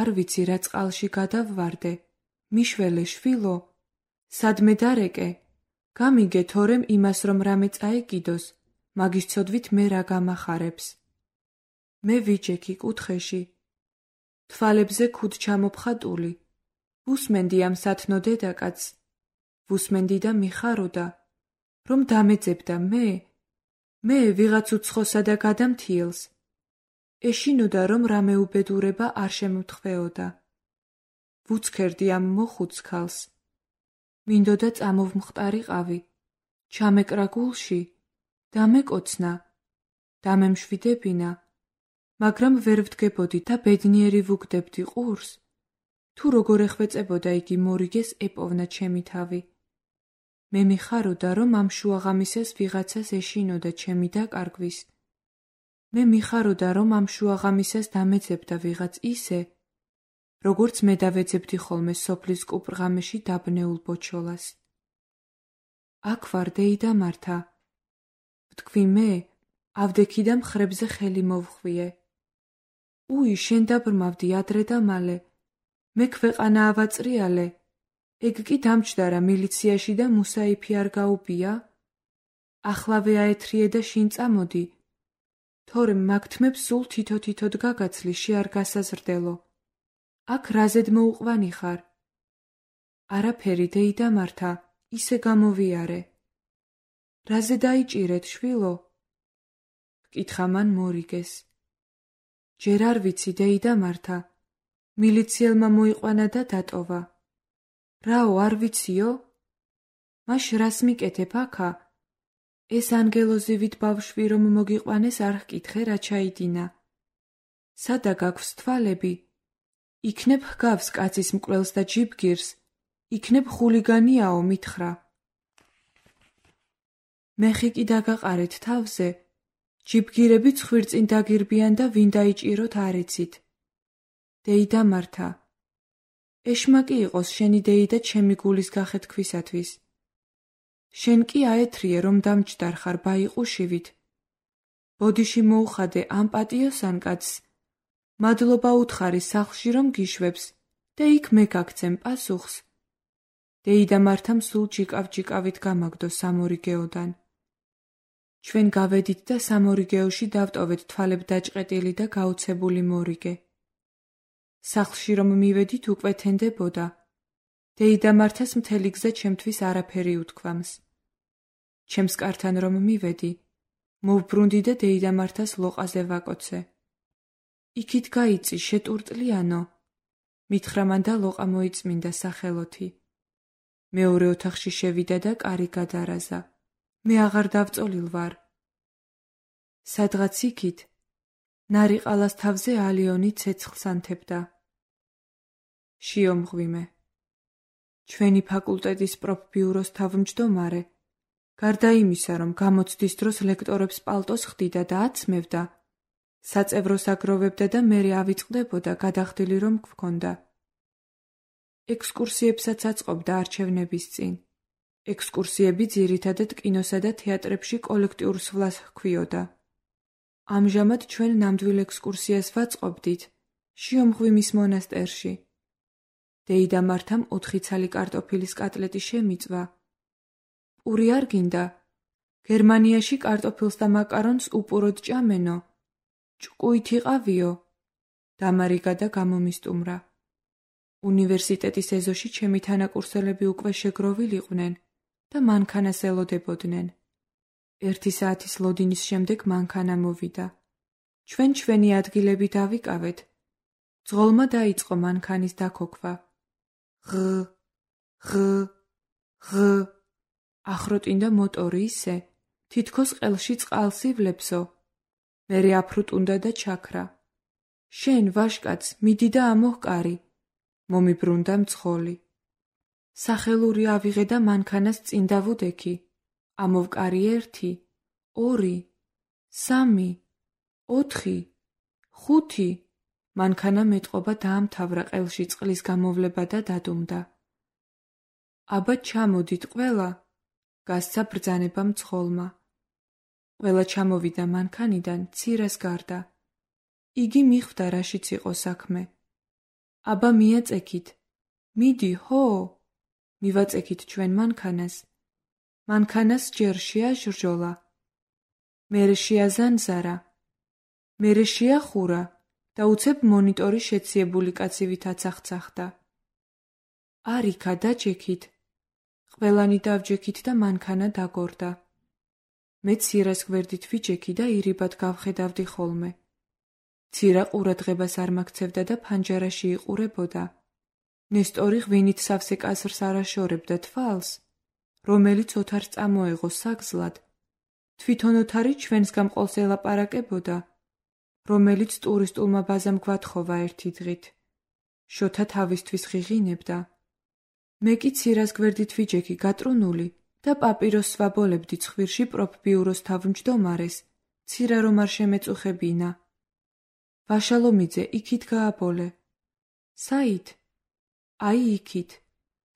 არ ვიცი რა წყალში გადავვარდე. მიშველე შვილო. სადმე დარეკე? გამიგე თორემ იმას რომ რამე წაეკიდოს, მაგის ცოდვით მე რა გამახარებს. მე ვიჯექი კუთხეში. თვალებზე ქუდ ჩამოფხატული. ვუსმენდი ამ სათნო დედაკაცს. ვუსმენდი და მიხაროდა, რომ დამეძებდა მე, მე ვიღაც უცხოსა და გადამთიელს. ეშინოდა რომ რამე უბედურება არ შემთხვეოდა. ვუცქერდი ამ მოხუც ქალს. მინდოდა წამოვმხტარიყავი, ჩამეკრა გულში, დამეკოცნა, დამემშვიდებინა, მაგრამ ვერ ვდგებოდი და ბედნიერი ვუგდებდი ყურს. თუ როგორ ეხვეწებოდა იგი მორიგეს ეპოვნა ჩემი თავი. მე მიხაროდა რომ ამ შუაღამისას ვიღაცას ეშინოდა ჩემი დაკარგვის. მე მიხაროდა რომ ამ შუაღამისას დამეძებდა ვიღაც ისე, როგორც მე დავეძებდი ხოლმე სოფლის კუპრღამეში დაბნეულ ბოჩოლას. აქ ვარ დეიდა მართა. ვთქვი მე, ავდექი და მხრებზე ხელი მოვხვიე. უი, შენ დაბრმავდი ადრე და მალე. მე ქვეყანა ავაწრიალე. ეგ კი დამჯდარა მილიციაში და მუსაიფი არ გაუბია? ახლავე აეთრიე და შინ წამოდი. თორემ მაგთმებს სულ თითო-თითოდ გაგაცლი, შე არ გასაზრდელო. აქ რაზედ მოუყვანი ხარ? არაფერი დეიდა მართა, ისე გამოვიარე. რაზე დაიჭირეთ შვილო? ჰკითხა მან მორიგეს. ჯერ არ ვიცი დეიდა მართა. მილიციელმა მოიყვანა და დატოვა. რაო, არ ვიციო? მაშ რას მიკეთებ აქა? ეს ანგელოზივით ბავშვი რომ მოგიყვანეს არ ჰკითხე რა ჩაიდინა. სადა გაქვს თვალები? იქნებ ჰგავს კაცის მკვლელს და ჯიბგირს, იქნებ ხულიგანიაო მითხრა. მეხი კი დაგაყარეთ თავზე, ჯიბგირები ცხვირწინ დაგირბიან და ვინ დაიჭიროთ არ იცით. დეიდა მართა, ეშმაკი იყოს შენი დეიდა ჩემი გულის გახეთქვისათვის. შენ კი აეთრიე რომ დამჯდარ ხარ ბაიყუშივით. ბოდიში მოუხადე ამ პატიოსან კაცს, მადლობა უთხარი სახლში რომ გიშვებს და იქ მე გაგცემ პასუხს. დეიდა მართამ სულ ჯიკავ-ჯიკავით გამაგდო სამორიგეოდან. ჩვენ გავედით და სამორიგეოში დავტოვეთ თვალებ დაჭყეტილი და გაუცებული მორიგე. სახლში რომ მივედით უკვე თენდებოდა. დეიდამართას მთელი გზა ჩემთვის არაფერი უთქვამს. ჩემს კართან რომ მივედი, მოვბრუნდი და დეიდამართას ლოყაზე ვაკოცე. იქით გაიწი შეტურტლიანო. მითხრა მან და ლოყა მოიწმინდა სახელოთი. მეორე ოთახში შევიდა და კარი გადარაზა. მე აღარ დავწოლილ ვარ. სადღაც იქით ნარიყალას თავზე ალიონი ცეცხლს ანთებდა. შიომღვიმე. ჩვენი ფაკულტეტის პროფბიუროს თავმჯდომარე, გარდა იმისა, რომ გამოცდის დროს ლექტორებს პალტოს ხდიდა და აცმევდა, საწევროს აგროვებდა და მერე ავიწყდებოდა გადახდილი რომ გვქონდა. ექსკურსიებსაც აწყობდა არჩევნების წინ. ექსკურსიები ძირითადად კინოსა და თეატრებში კოლექტიურ სვლას ჰქვიოდა. ამჟამად ჩვენ ნამდვილ ექსკურსიას ვაწყობდით შიომღვიმის მონასტერში. დეიდამართამ ოთხი ცალი კარტოფილის კატლეტი შემიწვა. პური არ გინდა? გერმანიაში კარტოფილს და მაკარონს უპურად ჭამენო. ჭკუით იყავიო? დამარიგა და გამომისტუმრა. უნივერსიტეტის ეზოში ჩემი თანაკურსელები უკვე შეგროვილიყვნენ და მანქანას ელოდებოდნენ. ერთი საათის ლოდინის შემდეგ მანქანა მოვიდა. ჩვენ ჩვენი ადგილები დავიკავეთ. ძღოლმა დაიწყო მანქანის დაქოქვა. ღ, ღ, ღ. ახროტინდა მოტორი ისე, თითქოს ყელში წყალს ივლებსო. მერე აფრუტუნდა და ჩაქრა. შენ, ვაშკაც, მიდი და ამოჰკარი. მომიბრუნდა მძღოლი. სახელური ავიღე და მანქანას წინ დავუდექი. ამოვკარი ერთი, ორი, სამი, ოთხი, ხუთი. მანქანა მეტყობა დაამთავრა ყელში წყლის გამოვლება და დადუმდა. აბა ჩამოდით ყველა, გასცა ბრძანება მძღოლმა. ყველა ჩამოვიდა მანქანიდან ცირას გარდა. იგი მიხვდა რაშიც იყო საქმე. აბა მიაწექით. მიდი, ჰო! მივაწექით ჩვენ მანქანას. მანქანას ჯერ შეაჟრჟოლა. მერე შეაზანზარა. მერე შეახურა და უცებ მონიტორი შეციებული კაცივით აცახცახდა. არიქა დაჯექით. ყველანი დავჯექით და მანქანა დაგორდა. მე ცირას გვერდით ვიჯექი და ირიბად გავხედავდი ხოლმე. ცირა ყურადღებას არ მაქცევდა და ფანჯარაში იყურებოდა. ნესტორი ღვინით სავსე კაზრს არაშორებდა თვალს, რომელიც ოთარს წამოეღო საგზლად. თვითონ ოთარი ჩვენს გამყოლს ელაპარაკებოდა, რომელიც ტურისტულმა ბაზამ გვათხოვა ერთი დღით. შოთა თავისთვის ღიღინებდა. მე კი ცირას გვერდით ვიჯექი გატრუნული და პაპიროს ვაბოლებდი ცხვირში პროფბიუროს თავმჯდომარეს, ცირა რომ არ შემეწუხებინა. ვაშალომიძე, იქით გააბოლე. საით? აი იქით.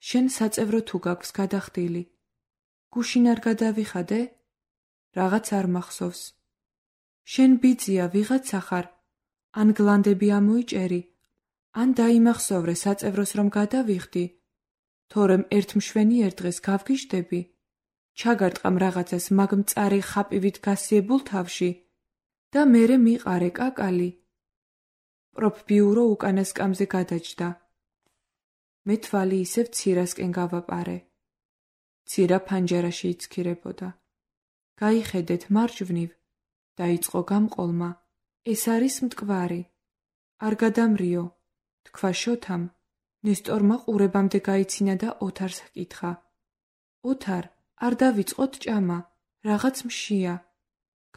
შენ საწევრო თუ გაქვს გადახდილი. გუშინ არ გადავიხადე? რაღაც არ მახსოვს. შენ ბიძია ვიღაცა ხარ? ან გლანდები ამოიჭერი? ან დაიმახსოვრე საწევროს რომ გადავიხდი? თორემ ერთ მშვენიერ დღეს გავგიჟდები? ჩაგარტყამ რაღაცას მაგ მწარე ხაპივით გასიებულ თავში და მერე მიყარე კაკალი. პროფბიურო უკანა სკამზე გადაჯდა. მე თვალი ისევ ცირასკენ გავაპარე. ცირა ფანჯარაში იცქირებოდა. გაიხედეთ მარჯვნივ. დაიწყო გამყოლმა. ეს არის მტკვარი. არ გადამრიო. თქვა შოთამ. ნესტორმა ყურებამდე გაიცინა და ოთარს ჰკითხა. ოთარ, არ დავიწყოთ ჭამა. რაღაც მშია.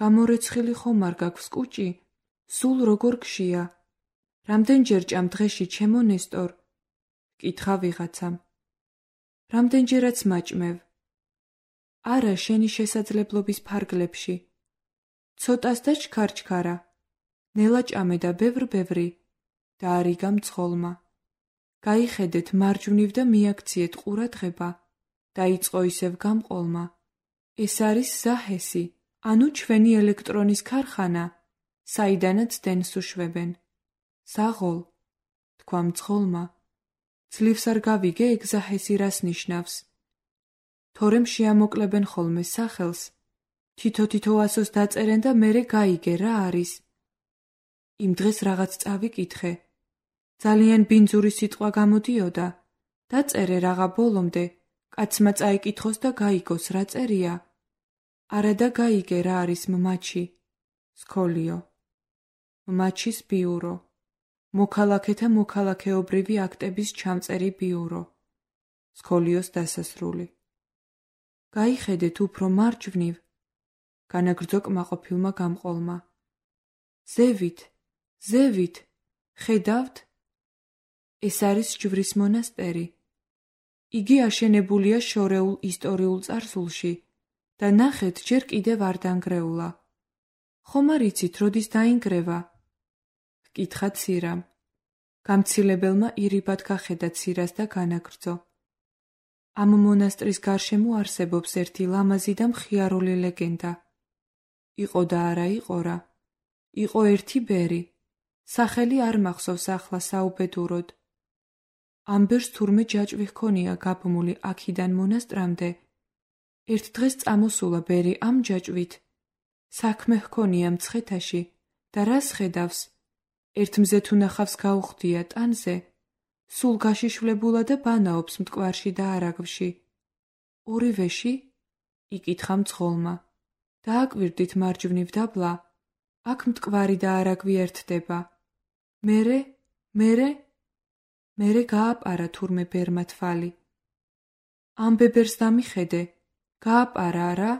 გამორეცხილი ხომ არ გაქვს კუჭი? სულ როგორ გშია? რამდენჯერ ჭამ დღეში ჩემო ნესტორ? კითხა ვიღაცამ. რამდენჯერაც მაჭმევ. არა შენი შესაძლებლობის ფარგლებში. ცოტას და ჩქარჩქარა. ნელა ჭამე და ბევრ-ბევრი. დაარიგა მძღოლმა. გაიხედეთ მარჯვნივ და მიაქციეთ ყურადღება. დაიწყო ისევ გამყოლმა. ეს არის ზაჰესი, ანუ ჩვენი ელექტრონის ქარხანა, საიდანაც დენს უშვებენ. საღოლ, თქვა მძღოლმა. ძლივს არ გავიგე ეგ ზაჰესი რას ნიშნავს. თორემ შეამოკლებენ ხოლმე სახელს თითო-თითო ასოს დაწერენ და მერე გაიგე რა არის. იმ დღეს რაღაც წავიკითხე. ძალიან ბინძური სიტყვა გამოდიოდა. დაწერე რაღა ბოლომდე, კაცმა წაიკითხოს და გაიგოს რა წერია. არა და გაიგე რა არის მმაჩი. სქოლიო. მმაჩის ბიურო. მოქალაქეთა მოქალაქეობრივი აქტების ჩამწერი ბიურო. სქოლიოს დასასრული. გაიხედეთ უფრო მარჯვნივ. განაგრძო კმაყოფილმა გამყოლმა. ზევით, ზევით, ხედავთ? ეს არის ჯვრის მონასტერი. იგი აშენებულია შორეულ ისტორიულ წარსულში და ნახეთ ჯერ კიდევ არ დანგრეულა. ხომ არ იცით როდის დაინგრევა? ჰკითხა ცირამ. გამცილებელმა ირიბად გახედა ცირას და განაგრძო. ამ მონასტრის გარშემო არსებობს ერთი ლამაზი და მხიარული ლეგენდა. იყო და არა იყო რა. იყო ერთი ბერი. სახელი არ მახსოვს ახლა საუბედუროდ. ამ ბერს თურმე ჯაჭვი ჰქონია გაბმული აქიდან მონასტრამდე. ერთ დღეს წამოსულა ბერი ამ ჯაჭვით. საქმე ჰქონია მცხეთაში და რას ხედავს? ერთ მზეთ უნახავს გაუხდია ტანზე. სულ გაშიშვლებულა და ბანაობს მტკვარში და არაგვში. ორივეში? იკითხა მძღოლმა. დააკვირდით მარჯვნივ დაბლა. აქ მტკვარი და არაგვი ერთდება. მერე, მერე, მერე გააპარა თურმე ბერმა თვალი. ამ ბებერს დამიხედე, გააპარა არა?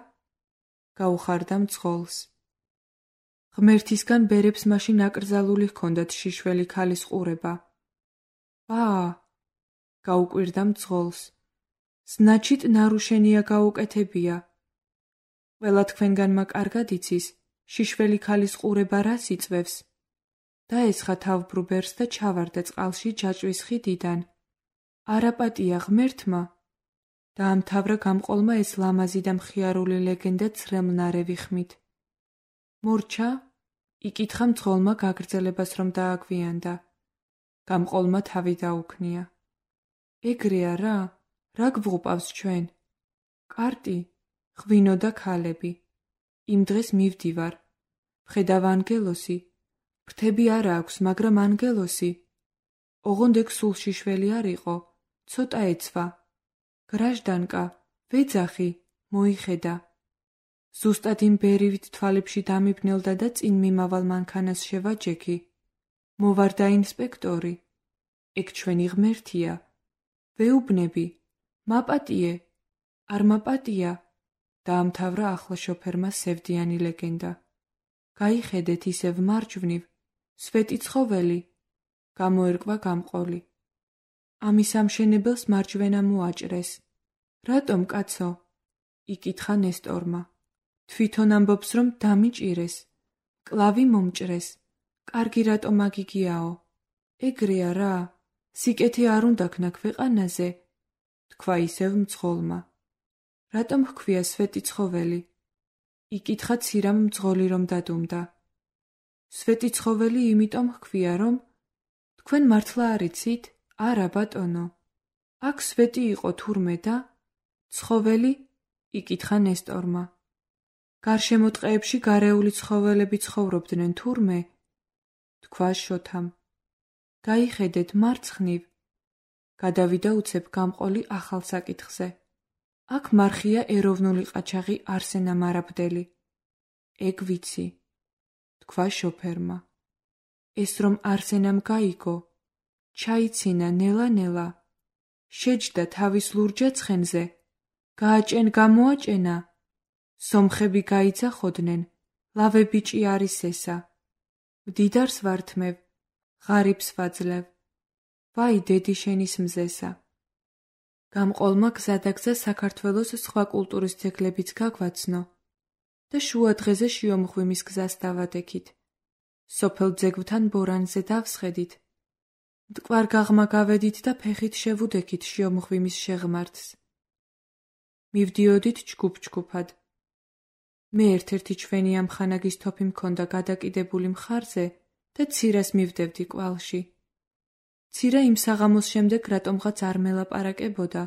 გაუხარდა მძღოლს. ღმერთისგან ბერებს მაშინ აკრძალული ჰქონდათ შიშველი ქალის ყურება. აა, გაუკვირდა მძღოლს. значит, ნარუშენია გაუკეთებია. ყველა თქვენგანმა კარგად იცის, შიშველი ქალის ყურება რას იწვევს? დაესხა თავბრუ ბერს და ჩავარდა წყალში ჯაჭვის ხიდიდან. არაპატია ღმერთმა. დაამთავრა გამყოლმა ეს ლამაზი და მხიარული ლეგენდა ცრემლნარევი ხმით. მორჩა? იკითხა მძღოლმა გაგრძელებას რომ დააგვიანდა. გამყოლმა თავი დაუქნია. ეგრეა რა? რა გვღუპავს ჩვენ? კარტი, ღვინო და ქალები. იმ დღეს მივდივარ. ვხედავ ანგელოსი. ფრთები არა აქვს, მაგრამ ანგელოსი. ოღონდ ეგ სულ შიშველი არ იყო. ცოტა ეცვა. გრაჟდანკა, ვეძახი, მოიხედა. ზუსტად იმ ბერივით თვალებში დამიბნელდა და წინ მიმავალ მანქანას შევაჯექი. მოვარდა ინსპექტორი. ეგ ჩვენი ღმერთია. ვეუბნები. მაპატიე. არ მაპატია. დაამთავრა ახლა შოფერმა სევდიანი ლეგენდა. გაიხედეთ ისევ მარჯვნივ. სვეტი ცხოველი. გამოერკვა გამყოლი. ამის ამშენებელს მარჯვენა მოაჭრეს. რატომ კაცო? იკითხა ნესტორმა. თვითონ ამბობს რომ დამიჭირეს. კლავი მომჭრეს. კარგი რატომ აგიგიაო? ეგრეა რა. სიკეთე არ უნდა ქნა ქვეყანაზე. თქვა ისევ მძღოლმა. რატომ ჰქვია სვეტი ცხოველი? იკითხა ცირამ მძღოლი რომ დადუმდა. სვეტი ცხოველი იმიტომ ჰქვია რომ თქვენ მართლა არ იცით? არა ბატონო. აქ სვეტი იყო თურმე და ცხოველი? იკითხა ნესტორმა. გარშემო ტყეებში გარეული ცხოველები ცხოვრობდნენ თურმე? თქვა შოთამ. გაიხედეთ მარცხნივ. გადავიდა უცებ გამყოლი ახალ საკითხზე. აქ მარხია ეროვნული ყაჩაღი არსენა მარაბდელი. ეგ ვიცი. თქვა შოფერმა. ეს რომ არსენამ გაიგო, ჩაიცინა ნელა-ნელა. შეჯდა თავის ლურჯა ცხენზე. გააჭენ გამოაჭენა. სომხები გაიძახოდნენ, ლავე ბიჭი არის ესა. მდიდარს ვართმევ, ღარიბს ვაძლევ. ვაი დედი შენის მზესა. გამყოლმა გზადაგზა საქართველოს სხვა კულტურის ძეგლებიც გაგვაცნო და შუა დღეზე შიომღვიმის გზას დავადექით. სოფელ ძეგლთან ბორანზე დავსხედით. მტკვარ გაღმა გავედით და ფეხით შევუდექით შიომღვიმის შეღმართს. მივდიოდით ჯგუფ-ჯგუფად. მე ერთ-ერთი ჩვენი ამხანაგის თოფი მქონდა გადაკიდებული მხარზე და ცირას მივდევდი კვალში. ცირა იმ საღამოს შემდეგ რატომღაც არ მელაპარაკებოდა.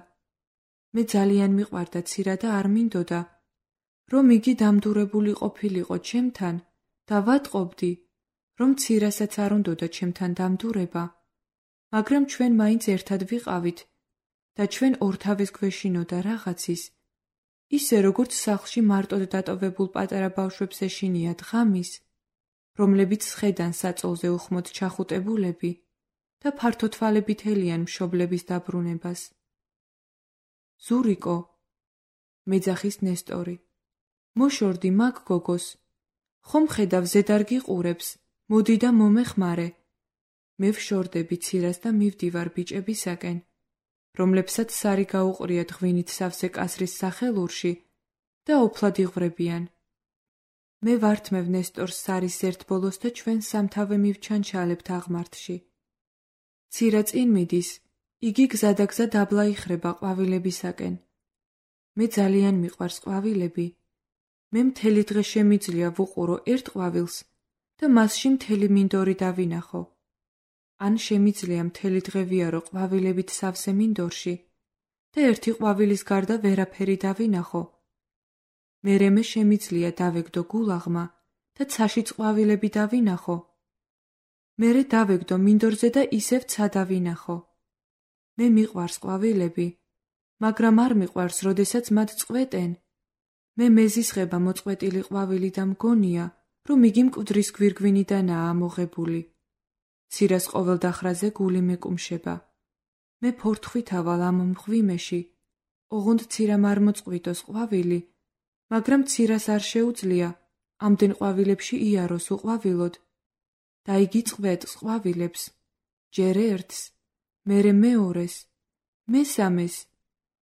მე ძალიან მიყვარდა ცირა და არ მინდოდა, რომ იგი დამდურებული ყოფილიყო ჩემთან და ვატყობდი, რომ მცირასაც არ უნდოდა ჩემთან დამდურება, მაგრამ ჩვენ მაინც ერთად ვიყავით და ჩვენ ორთავეს გვეშინოდა რაღაცის, ისე როგორც სახლში მარტოდ დატოვებულ პატარა ბავშვებს ეშინიათ ღამის, რომლებიც სხედან საწოლზე უხმოდ ჩახუტებულები და ფართოთვალებით ელიან მშობლების დაბრუნებას. ზურიკო, მეძახის ნესტორი, მოშორდი მაგ გოგოს, ხომ ხედავ ზედარ გიყურებს, მოდი და მომეხმარე. მე ვშორდები ცირას და მივდივარ ბიჭებისაკენ, რომლებსაც სარი გაუყრიათ ღვინით სავსე კასრის სახელურში და ოფლად იღვრებიან. მე ვართმევ ნესტორს სარის ერთ ბოლოს და ჩვენ სამთავე მივჩანჩალებთ აღმართში. ცირა წინ მიდის, იგი გზადაგზა დაბლა იხრება ყვავილებისაკენ. მე ძალიან მიყვარს ყვავილები. მე მთელი დღე შემიძლია ვუყურო ერთ ყვავილს და მასში მთელი მინდორი დავინახო. ან შემიძლია მთელი დღე ვიარო ყვავილებით სავსე მინდორში და ერთი ყვავილის გარდა ვერაფერი დავინახო. მერე მე შემიძლია დავეგდო გულაღმა და ცაშიც ყვავილები დავინახო. მერე დავეგდო მინდორზე და ისევ ცა დავინახო. მე მიყვარს ყვავილები, მაგრამ არ მიყვარს, როდესაც მათ წყვეტენ. მე მეზისხება მოწყვეტილი ყვავილი და მგონია, რომ იგი მკვდრის გვირგვინიდანაა ამოღებული. ცირას ყოველ დახრაზე გული მეკუმშება. მე ფორთხვით ავალ ამ მღვიმეში, ოღონდ ცირამ არ მოწყვიტოს ყვავილი, მაგრამ ცირას არ შეუძლია ამდენ ყვავილებში იაროს უყვავილოდ. და იგი წყვეტს ყვავილებს, ჯერ ერთს, მერე მეორეს, მესამეს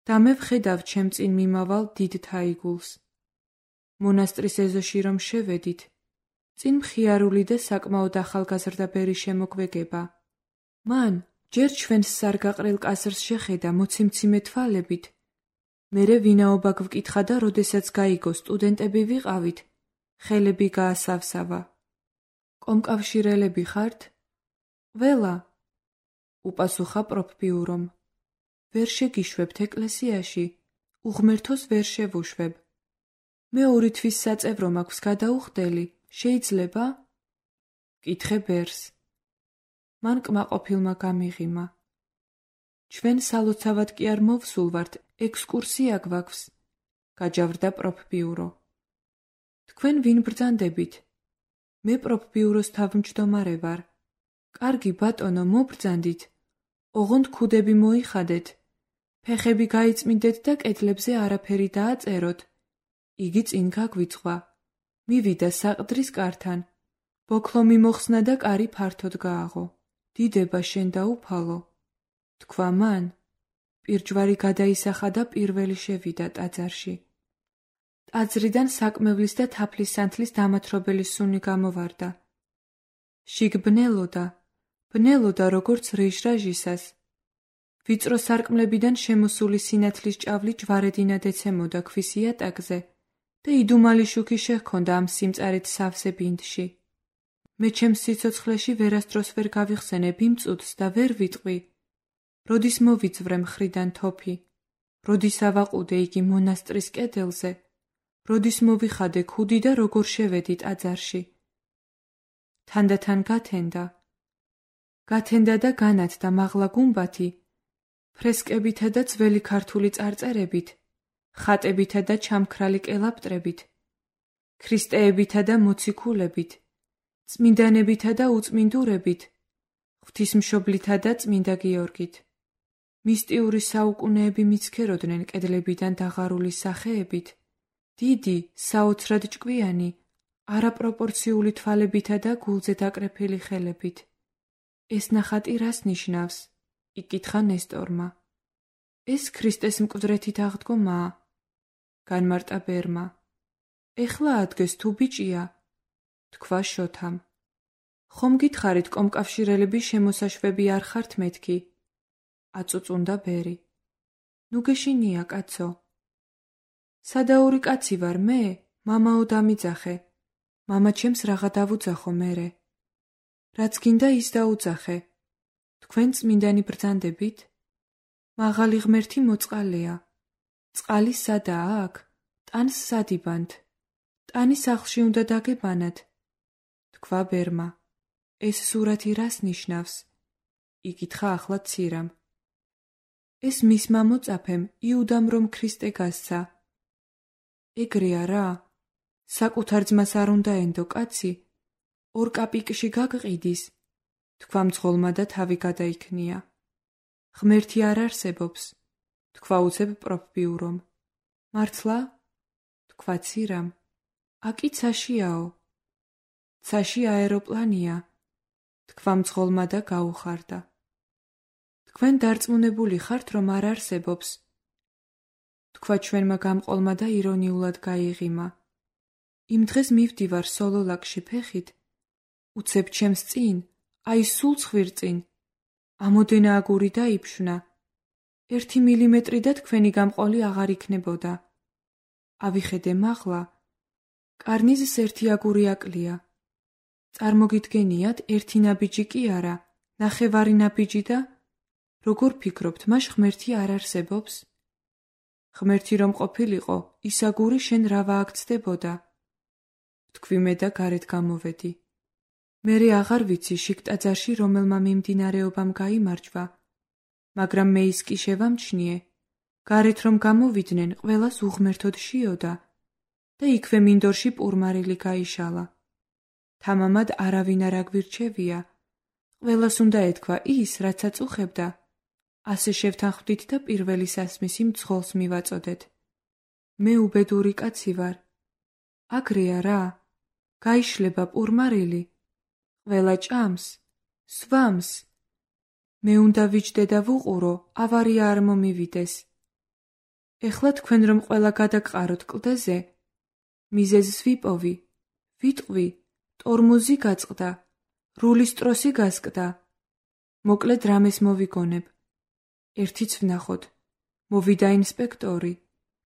და მე ვხედავ ჩემ წინ მიმავალ დიდ თაიგულს. მონასტრის ეზოში რომ შევედით, წინ მხიარული და საკმაოდ ახალგაზრდა ბერი შემოგვეგება. მან ჯერ ჩვენს სარგაყრელ კასრს შეხედა მოციმციმე თვალებით, მერე ვინაობა გვკითხა და როდესაც გაიგო სტუდენტები ვიყავით, ხელები გაასავსავა. კომკავშირელები ხართ? ველა, უპასუხა პროფპიურომ. ვერ შეგიშვებთ ეკლესიაში, უღმერთოს ვერ შევუშვებ. მე ორი თვის საწევრო მაქვს გადაუხდელი, შეიძლება? კითხე ბერს. მან კმაყოფილმა გამიღიმა. ჩვენ სალოცავად კი არ მოვსულვართ, ექსკურსია გვაქვს, გაჯავრდა პროფპიურო. თქვენ ვინ ბრძანდებით? მე პროფპიუროს თავმჯდომარე ვარ. კარგი ბატონო, მობრძანდით. ოღონდ ქუდები მოიხადეთ. ფეხები გაიწმინდეთ და კედლებზე არაფერი დააწეროთ. იგი წინ გაგვიწყვა. მივიდა საყდრის კართან. ბოქლო მიმოხსნა და კარი ფართოდ გააღო. დიდება შენ დაუფალო. თქვა მან. პირჯვარი გადაისახა და პირველი შევიდა ტაძარში. ტაძრიდან საკმევლის და თაფლის სანთლის დამათრობელი სუნი გამოვარდა. შიგ ბნელოდა, ბნელოდა როგორც რეჟრაჟისას. ვიწრო სარკმლებიდან შემოსული სინათლის ჭავლი ჯვარედინად ეცემოდა ქვის იატაკზე და იდუმალი შუქი შეჰქონდა ამ სიმწარით სავსე ბინდში. მე ჩემს სიცოცხლეში ვერასდროს ვერ გავიხსენებ იმ წუთს და ვერ ვიტყვი, როდის მოვიწვრე მხრიდან თოფი, როდის ავაყუდე იგი მონასტრის კედელზე, როდის მოვიხადე ქუდი და როგორ შევედი ტაძარში. თანდათან გათენდა. გათენდა და განათდა მაღლა გუმბათი, ფრესკებითა და ძველი ქართული წარწერებით, ხატებითა და ჩამქრალი კელაპტრებით, ქრისტეებითა და მოციქულებით, წმინდანებითა და უწმინდურებით, ღვთისმშობლითა და წმინდა გიორგით. მისტიური საუკუნეები მიცქეროდნენ კედლებიდან დაღარული სახეებით, დიდი, საოცრად ჭკვიანი, არაპროპორციული თვალებითა და გულზე დაკრეფილი ხელებით. ეს ნახატი რას ნიშნავს? იკითხა ნესტორმა. ეს ქრისტეს მკვდრეთით აღდგომაა. განმარტა ბერმა. ეხლა ადგეს თუ ბიჭია? თქვა შოთამ. ხომ გითხარით კომკავშირელები შემოსაშვები არ ხართ მეთქი? აწუწუნდა ბერი. ნუ გეშინია კაცო. სადაური კაცი ვარ მე, მამაო დამიძახე. მამა ჩემს რაღა დავუძახო მერე. რაც გინდა ის დაუძახე. თქვენ წმინდანი ბრძანდებით? მაღალი ღმერთი მოწყალეა. წყალი სადაა აქ? ტანს სადიბანთ, ტანი სახლში უნდა დაგებანათ. თქვა ბერმა. ეს სურათი რას ნიშნავს? იკითხა ახლა ცირამ. ეს მისმა მოწაფემ იუდამ რომ ქრისტე გასცა. ეგრეა რა? საკუთარ ძმას არ უნდა ენდო კაცი? ორ კაპიკში გაგყიდის? თქვა მძღოლმა და თავი გადაიქნია. ღმერთი არ არსებობს, თქვა უცებ პროფბიურომ. მართლა? თქვა ცირამ. აკი ცაშიაო. ცაში აეროპლანია, თქვა მძღოლმა და გაუხარდა. თქვენ დარწმუნებული ხართ, რომ არ არსებობს? თქვა ჩვენმა გამყოლმა და ირონიულად გაიღიმა. იმ დღეს მივდივარ სოლოლაკში ფეხით, უცებ ჩემს წინ, აი სულ ცხვირწინ, ამოდენა აგური დაიფშნა. ერთი მილიმეტრი და თქვენი გამყოლი აღარ იქნებოდა. ავიხედე მაღლა, კარნიზს ერთი აგური აკლია. წარმოგიდგენიათ, ერთი ნაბიჯი კი არა, ნახევარი ნაბიჯი და როგორ ფიქრობთ, მას ღმერთი არ არსებობს? ღმერთი რომ ყოფილიყო, ის აგური შენ რა ვააქცდებოდა? თქვი მე და გარეთ გამოვედი. მერე აღარ ვიცი შიგ ტაძარში რომელმა მიმდინარეობამ გაიმარჯვა, მაგრამ მე ის კი შევამჩნიე, გარეთ რომ გამოვიდნენ, ყველას უღმერთოდ შიოდა და იქვე მინდორში პურმარილი გაიშალა. თამამად არავინ არ აგვირჩევია, ყველას უნდა ეთქვა ის, რაც აწუხებდა. ასე შევთანხმდით და პირველი სასმისი მძღოლს მივაწოდეთ. მე უბედური კაცი ვარ. აგრეა რა? გაიშლება პურმარილი, ყველა ჭამს, სვამს. მე უნდა ვიჯდე და ვუყურო, ავარია არ მომივიდეს. ეხლა თქვენ რომ ყველა გადაგყაროთ კლდეზე, მიზეზს ვიპოვი, ვიტყვი, ტორმუზი გაწყდა, რულის ტროსი გასკდა. მოკლედ რამეს მოვიგონებ. ერთიც ვნახოთ, მოვიდა ინსპექტორი,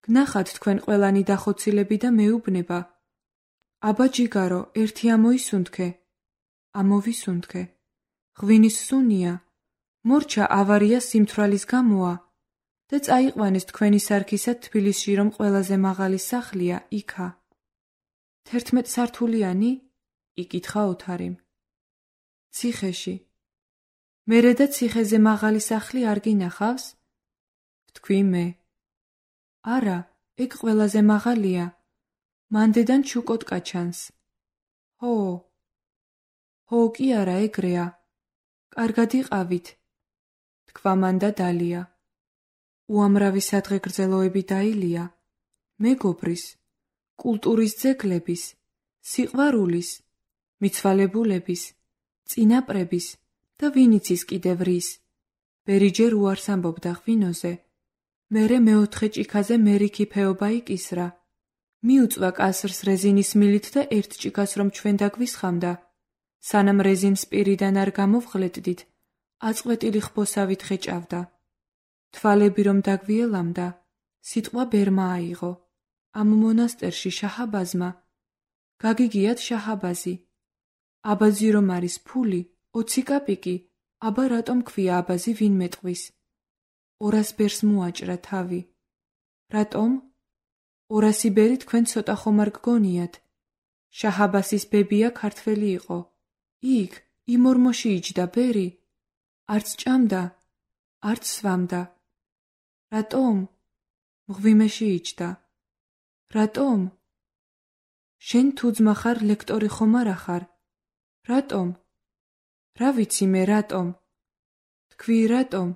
გნახათ თქვენ ყველანი დახოცილები და მეუბნება. აბა ჯიგარო, ერთი ამოისუნთქე. ამოვისუნთქე. ღვინის სუნია, მორჩა ავარია სიმთვრალის გამოა და წაიყვანეს თქვენი სარქისად თბილისში რომ ყველაზე მაღალი სახლია იქა. თერთმეტ სართულიანი? იკითხა ოთარიმ. ციხეში. მერე და ციხეზე მაღალი სახლი არ გინახავს? ვთქვი მე. არა, ეგ ყველაზე მაღალია. მანდედან ჩუკოტკა ჩანს. ჰო. ჰო კი არა, ეგრეა. კარგად იყავით. თქვა მან და დალია. უამრავი სადღე გრძელოები დაილია. მეგობრის, კულტურის ძეგლების, სიყვარულის, მიცვალებულების, წინაპრების და ვინიცის კიდევ რის. ბერიჯერ უარს ამბობდა ღვინოზე. მერე მეოთხე ჭიქაზე მერიქი ფეობა იკისრა. მიუწვა კასრს რეზინის მილით და ერთ ჭიქას რომ ჩვენ დაგვისხამდა. სანამ რეზინს პირიდან არ გამოვღლედდით, აწყვეტილი ხბოსავით ხეჭავდა. თვალები რომ დაგვიელამდა, სიტყვა ბერმა აიღო. ამ მონასტერში შაჰაბაზმა. გაგიგიათ შაჰაბაზი. აბაზი რომ არის ფული, ოცი კაპიკი, აბა რატომ ქვია აბაზი ვინმე ტყვის? ორას ბერს მოაჭრა თავი. რატომ? ორასი ბერი თქვენ ცოტა ხომ არ გგონიათ. შაჰაბასის ბებია ქართველი იყო. იქ, იმ ორმოში იჯდა ბერი. არც ჭამდა, არც სვამდა. რატომ? მღვიმეში იჯდა. რატომ? შენ თუ ძმა ხარ, ლექტორი ხომ არა ხარ? რატომ? რა ვიცი მე რატომ? თქვი რატომ?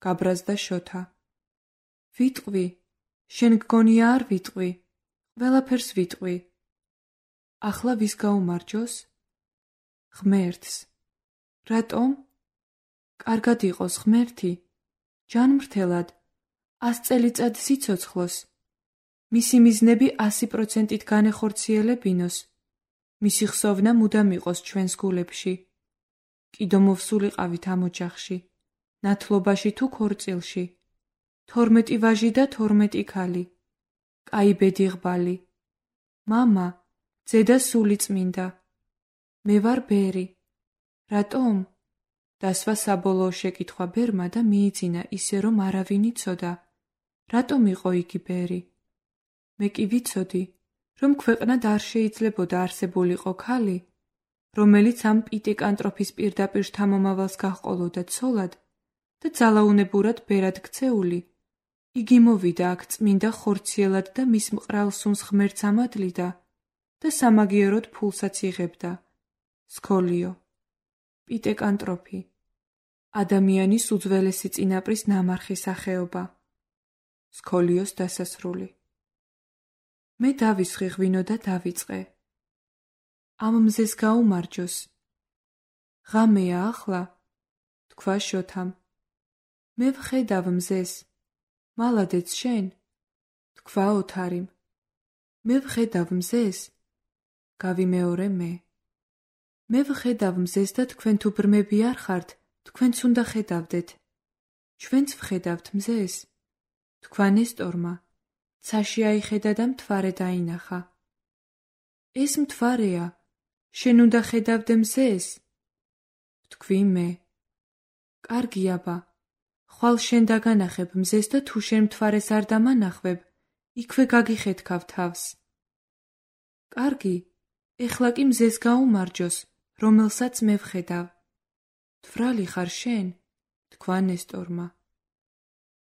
გაბრაზდა შოთა. ვიტყვი, შენ გგონია არ ვიტყვი, ყველაფერს ვიტყვი. ახლა ვის გაუმარჯოს? ღმერთს. რატომ? კარგად იყოს ღმერთი, ჯანმრთელად, ას წელიწად სიცოცხლოს. მისი მიზნები ასი პროცენტით განეხორციელებინოს. მისი ხსოვნა მუდამ იყოს ჩვენს გულებში. კიდო მოვსულიყავით ამ ოჯახში, ნათლობაში თუ ქორწილში. თორმეტი ვაჟი და თორმეტი ქალი. კაი ბედი ღბალი. მამა, ძედა სული წმინდა. მე ვარ ბერი. რატომ? დასვა საბოლოო შეკითხვა ბერმა და მიიძინა ისე რომ არავინ იცოდა. რატომ იყო იგი ბერი? მე კი ვიცოდი, რომ ქვეყნად არ შეიძლებოდა არსებულიყო ქალი, რომელიც ამ პიტეკანტროფის პირდაპირ შთამომავალს გაჰყოლოდა ცოლად და ძალაუნებურად ბერად ქცეული, იგი მოვიდა აქ წმინდა ხორციელად და მის მყრალ სუნს ღმერთს ამადლიდა და სამაგიეროდ ფულსაც იღებდა. სქოლიო, პიტეკანტროფი, ადამიანის უძველესი წინაპრის ნამარხი სახეობა. სქოლიოს დასასრული. მე დავისხი ღვინო და დავიწყე. ამ მზეს გაუმარჯოს. ღამეა ახლა, თქვა შოთამ. მე ვხედავ მზეს. მალადეც შენ, თქვა ოთარიმ. მე ვხედავ მზეს. გავიმეორე მე. მე ვხედავ მზეს და თქვენ თუ ბრმები არ ხართ, თქვენც უნდა ხედავდეთ. ჩვენც ვხედავთ მზეს. თქვა ნესტორმა. ცაში აიხედა და მთვარე დაინახა. ეს მთვარეა, შენ უნდა ხედავდე მზეს. ვთქვი მე. კარგი აბა, ხვალ შენ დაგანახებ მზეს და თუ შენ მთვარეს არ დამანახვებ, იქვე გაგიხეთქავ თავს. კარგი, ეხლა კი მზეს გაუმარჯოს, რომელსაც მე ვხედავ. თვრალი ხარ შენ, თქვა ნესტორმა.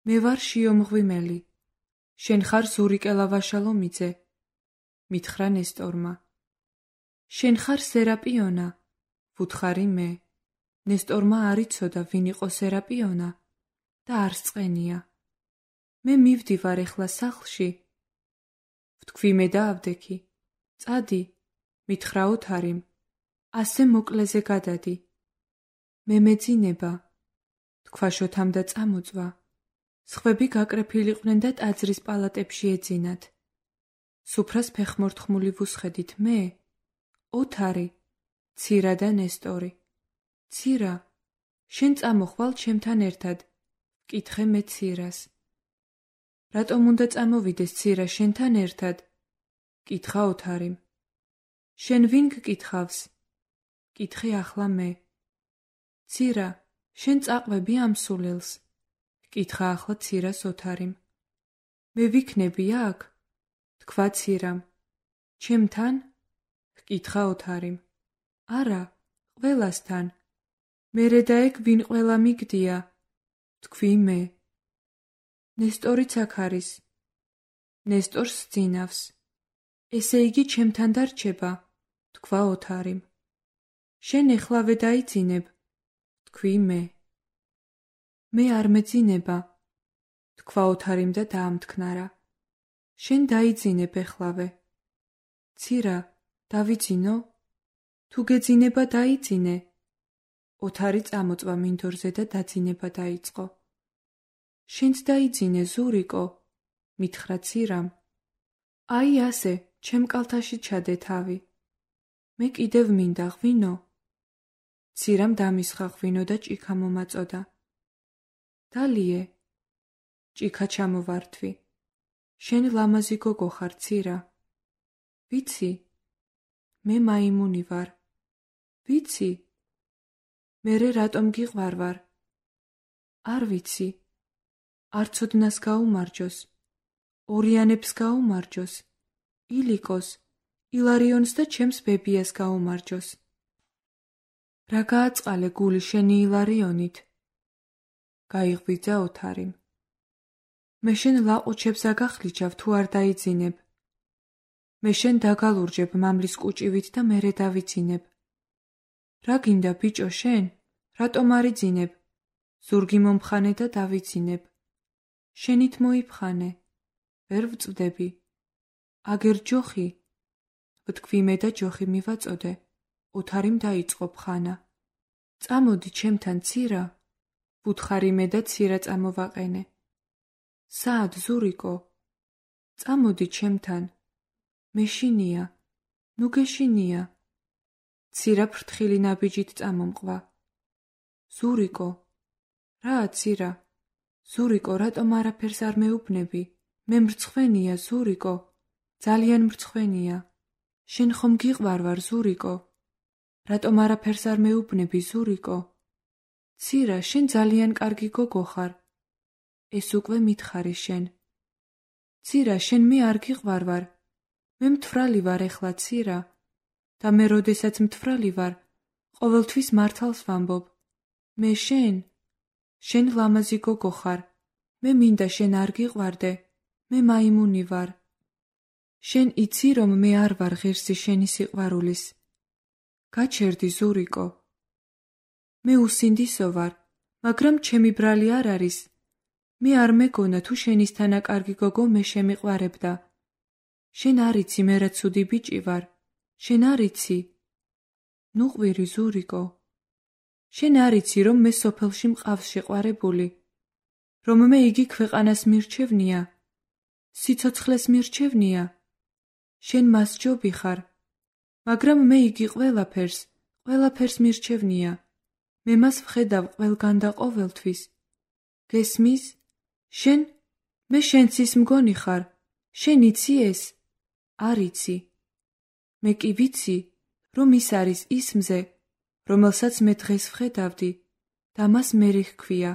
მე ვარ შიომღვიმელი. შენ ხარ ზურიკე ლავაშალომიძე, მითხრა ნესტორმა. შენ ხარ სერაპიონა, ვუთხარი მე. ნესტორმა არ იცოდა ვინ იყო სერაპიონა და არ სწყენია. მე მივდივარ ეხლა სახლში. ვთქვი მე და ავდექი. წადი, მითხრა ოთარიმ. ასე მოკლეზე გადადი. მე მეძინება, თქვა შოთამ და წამოწვა. სხვები გაკრეფილიყვნენ და ტაძრის პალატებში ეძინათ. სუფრას ფეხმორთხმული ვუსხედით მე, ოთარი, ცირა და ნესტორი. ცირა, შენ წამოხვალ ჩემთან ერთად, ვკითხე მე ცირას. რატომ უნდა წამოვიდეს ცირა შენთან ერთად? კითხა ოთარიმ. შენ ვინ გკითხავს? კითხე ახლა მე. ცირა, შენ წაყვები ამ სულელს? კითხა ახლა ცირას ოთარიმ. მე ვიქნები აქ? თქვა ცირამ. ჩემთან? კითხა ოთარიმ. არა, ყველასთან. მერე და ეგ ვინ ყველა მიგდია? თქვი მე. ნესტორიც აქ არის. ნესტორს სძინავს. ესე იგი ჩემთან დარჩება, თქვა ოთარიმ. შენ ეხლავე დაიძინებ, თქვი მე. მე არ მეძინება, თქვა ოთარიმ და დაამთქნარა. შენ დაიძინებ ეხლავე. ცირა, დავიძინო? თუ გეძინება დაიძინე. ოთარი წამოწვა მინდორზე და დაძინება დაიწყო. შენც დაიძინე, ზურიკო, მითხრა ცირამ. აი ასე, ჩემ კალთაში ჩადე თავი. მე კიდევ მინდა ღვინო. ცირამ დამისხა ღვინო და ჭიქა მომაწოდა. დალიე, ჭიქა ჩამოვართვი. შენ ლამაზი გოგო ხარ, ცირა. ვიცი, მე მაიმუნი ვარ. ვიცი, მერე რატომ გიყვარვარ? არ ვიცი. არცოდნას გაუმარჯოს, ორიანებს გაუმარჯოს, ილიკოს, ილარიონს და ჩემს ბებიას გაუმარჯოს. რა გააწყალე გული შენი ილარიონით? გაიღვიძა ოთარიმ. მე შენ ლაყუჩებს აგახლიჩავ თუ არ დაიძინებ. მე შენ დაგალურჯებ მამლის კუჭივით და მერე დავიძინებ. რა გინდა ბიჭო შენ? რატომ არ იძინებ? ზურგი მომხანე და დავიძინებ. შენით მოიფხანე. ვერ ვწვდები. აგერ ჯოხი. ვთქვი მე და ჯოხი მივაწოდე. ოთარიმ დაიწყო ფხანა. წამოდი ჩემთან ცირა. ვუთხარი მე და ცირა წამოვაყენე. საად ზურიკო? წამოდი ჩემთან. მეშინია. ნუ გეშინია. ცირა ფრთხილი ნაბიჯით წამომყვა. ზურიკო. რა ცირა? ზურიკო, რატომ არაფერს არ მეუბნები? მე მრცხვენია, ზურიკო. ძალიან მრცხვენია. შენ ხომ გიყვარვარ, ზურიკო? რატომ არაფერს არ მეუბნები, ზურიკო? ცირა, შენ ძალიან კარგი გოგო ხარ. ეს უკვე მითხარი შენ. ცირა, შენ მე არ გიყვარ ვარ. მე მთვრალი ვარ ეხლა, ცირა. და მე როდესაც მთვრალი ვარ, ყოველთვის მართალს ვამბობ. მე შენ, შენ ლამაზი გოგო ხარ. მე მინდა შენ არ გიყვარდე. მე მაიმუნი ვარ. შენ იცი რომ მე არ ვარ ღირსი შენი სიყვარულის. გაჩერდი ზურიკო. მე უსინდისო ვარ, მაგრამ ჩემი ბრალი არ არის. მე არ მეგონა თუ შენისთანა კარგი გოგო მე შემიყვარებდა. შენ არ იცი მე რა ცუდი ბიჭი ვარ. შენ არ იცი. ნუ ყვირი ზურიკო. შენ არ იცი რომ მე სოფელში მყავს შეყვარებული. რომ მე იგი ქვეყანას მირჩევნია. სიცოცხლეს მირჩევნია. შენ მას ჯობი ხარ. მაგრამ მე იგი ყველაფერს, ყველაფერს მირჩევნია. მე მას ვხედავ ყველგან და ყოველთვის. გესმის? შენ, მე შენც ის მგონი ხარ. შენ იცი ეს? არ იცი. მე კი ვიცი, რომ ის არის ის მზე, რომელსაც მე დღეს ვხედავდი და მას მერი ჰქვია.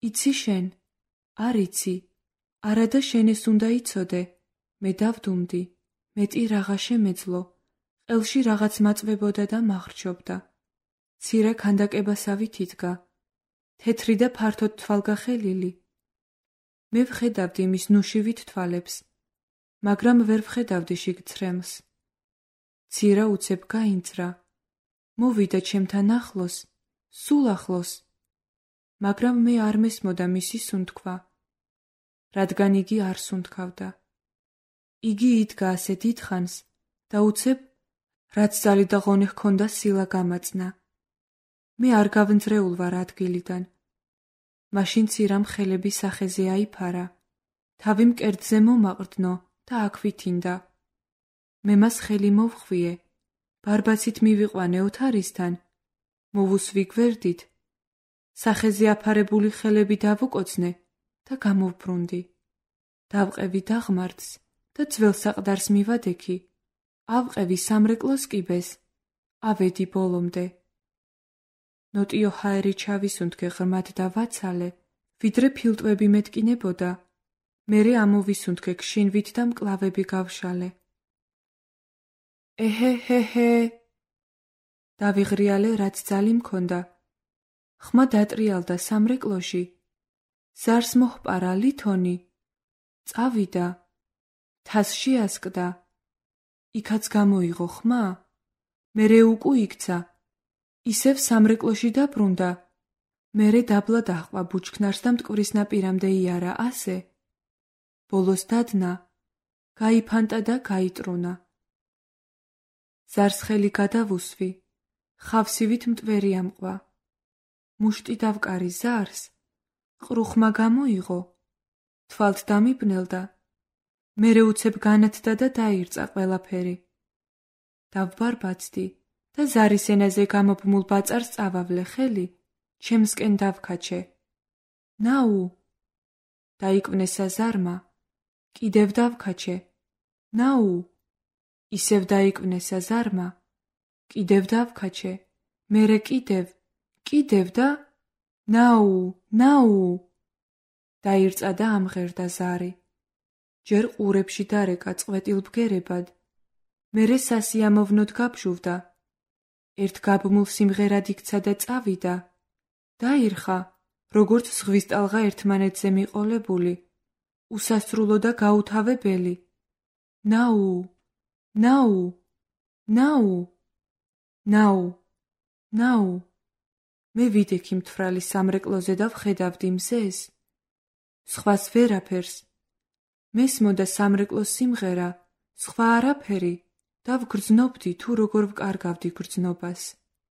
იცი შენ? არ იცი. არადა შენ ეს უნდა იცოდე. მე დავდუმდი. მეტი რაღა შემეძლო. ყელში რაღაც მაწვებოდა და მახრჩობდა. ცირა ქანდაკებასავით იდგა. თეთრი და ფართოდ თვალგახელილი. მე ვხედავდი მის ნუშივით თვალებს, მაგრამ ვერ ვხედავდი შიგ ცრემლს. ცირა უცებ გაინძრა. მოვიდა ჩემთან ახლოს, სულ ახლოს. მაგრამ მე არ მესმოდა მისი სუნთქვა, რადგან იგი არ სუნთქავდა. იგი იდგა ასე დიდხანს და უცებ, რაც ძალი და ღონე ჰქონდა სილა გამაწნა. მე არ გავნძრეულ ვარ ადგილიდან. მაშინ ცირამ ხელები სახეზე აიფარა, თავი მკერდზე მომაყრდნო და აქ ვითინდა. მე მას ხელი მოვხვიე, ბარბაცით მივიყვანე ოთარისთან, მოვუსვი გვერდით, სახეზე აფარებული ხელები დავუკოცნე და გამოვბრუნდი. დავყევი დაღმართს და ძველ საყდარს მივადექი, ავყევი სამრეკლოს კიბეს, ავედი ბოლომდე. ნოტიო ჰაერი ჩავისუნთქე ღრმად და ვაცალე, ვიდრე ფილტვები მეტკინებოდა, მერე ამოვისუნთქე გშინვით და მკლავები გავშალე. ეჰე ჰე ჰე დავიღრიალე, რაც ძალი მქონდა. ხმა დატრიალდა სამრეკლოში. ზარს მოჰპარა ლითონი. წავიდა. თას შეასკდა. იქაც გამოიღო ხმა. მერე უკუ იქცა. ისევ სამრეკლოში დაბრუნდა. მერე დაბლა დაჰყვა ბუჩქნარს და მტკვრის ნაპირამდე იარა ასე. ბოლოს დადნა. გაიფანტა და გაიტრუნა. ზარს ხელი გადავუსვი. ხავსივით მტვერი ამყვა. მუშტი დავკარი ზარს. ყრუხმა გამოიღო. თვალთ დამიბნელდა. მერე უცებ განათდა და დაირწა ყველაფერი. დავბარბაცდი და ზარის ენაზე გამობმულ ბაწარს წავავლე ხელი, ჩემსკენ დავქაჩე. ნაუ! დაიკვნესა ზარმა. კიდევ დავქაჩე. ნაუ! ისევ დაიკვნესა ზარმა. კიდევ დავქაჩე. მერე კიდევ, კიდევ და ნაუ, ნაუ! დაირწა და ამღერდა ზარი. ჯერ ყურებში დარეკა წვეტილ ბგერებად. მერე სასიამოვნოდ გაბჟუვდა. ერთ გაბმულ სიმღერად იქცა და წავიდა. დაირხა, როგორც ზღვის ტალღა ერთმანეთზე მიყოლებული, უსასრულო და გაუთავებელი. ნაუ, ნაუ, ნაუ, ნაუ, ნაუ. მე ვიდექი მთვრალი სამრეკლოზე და ვხედავდი მზეს. სხვას ვერაფერს. მესმოდა სამრეკლოს სიმღერა, სხვა არაფერი და ვგრძნობდი თუ როგორ ვკარგავდი გრძნობას.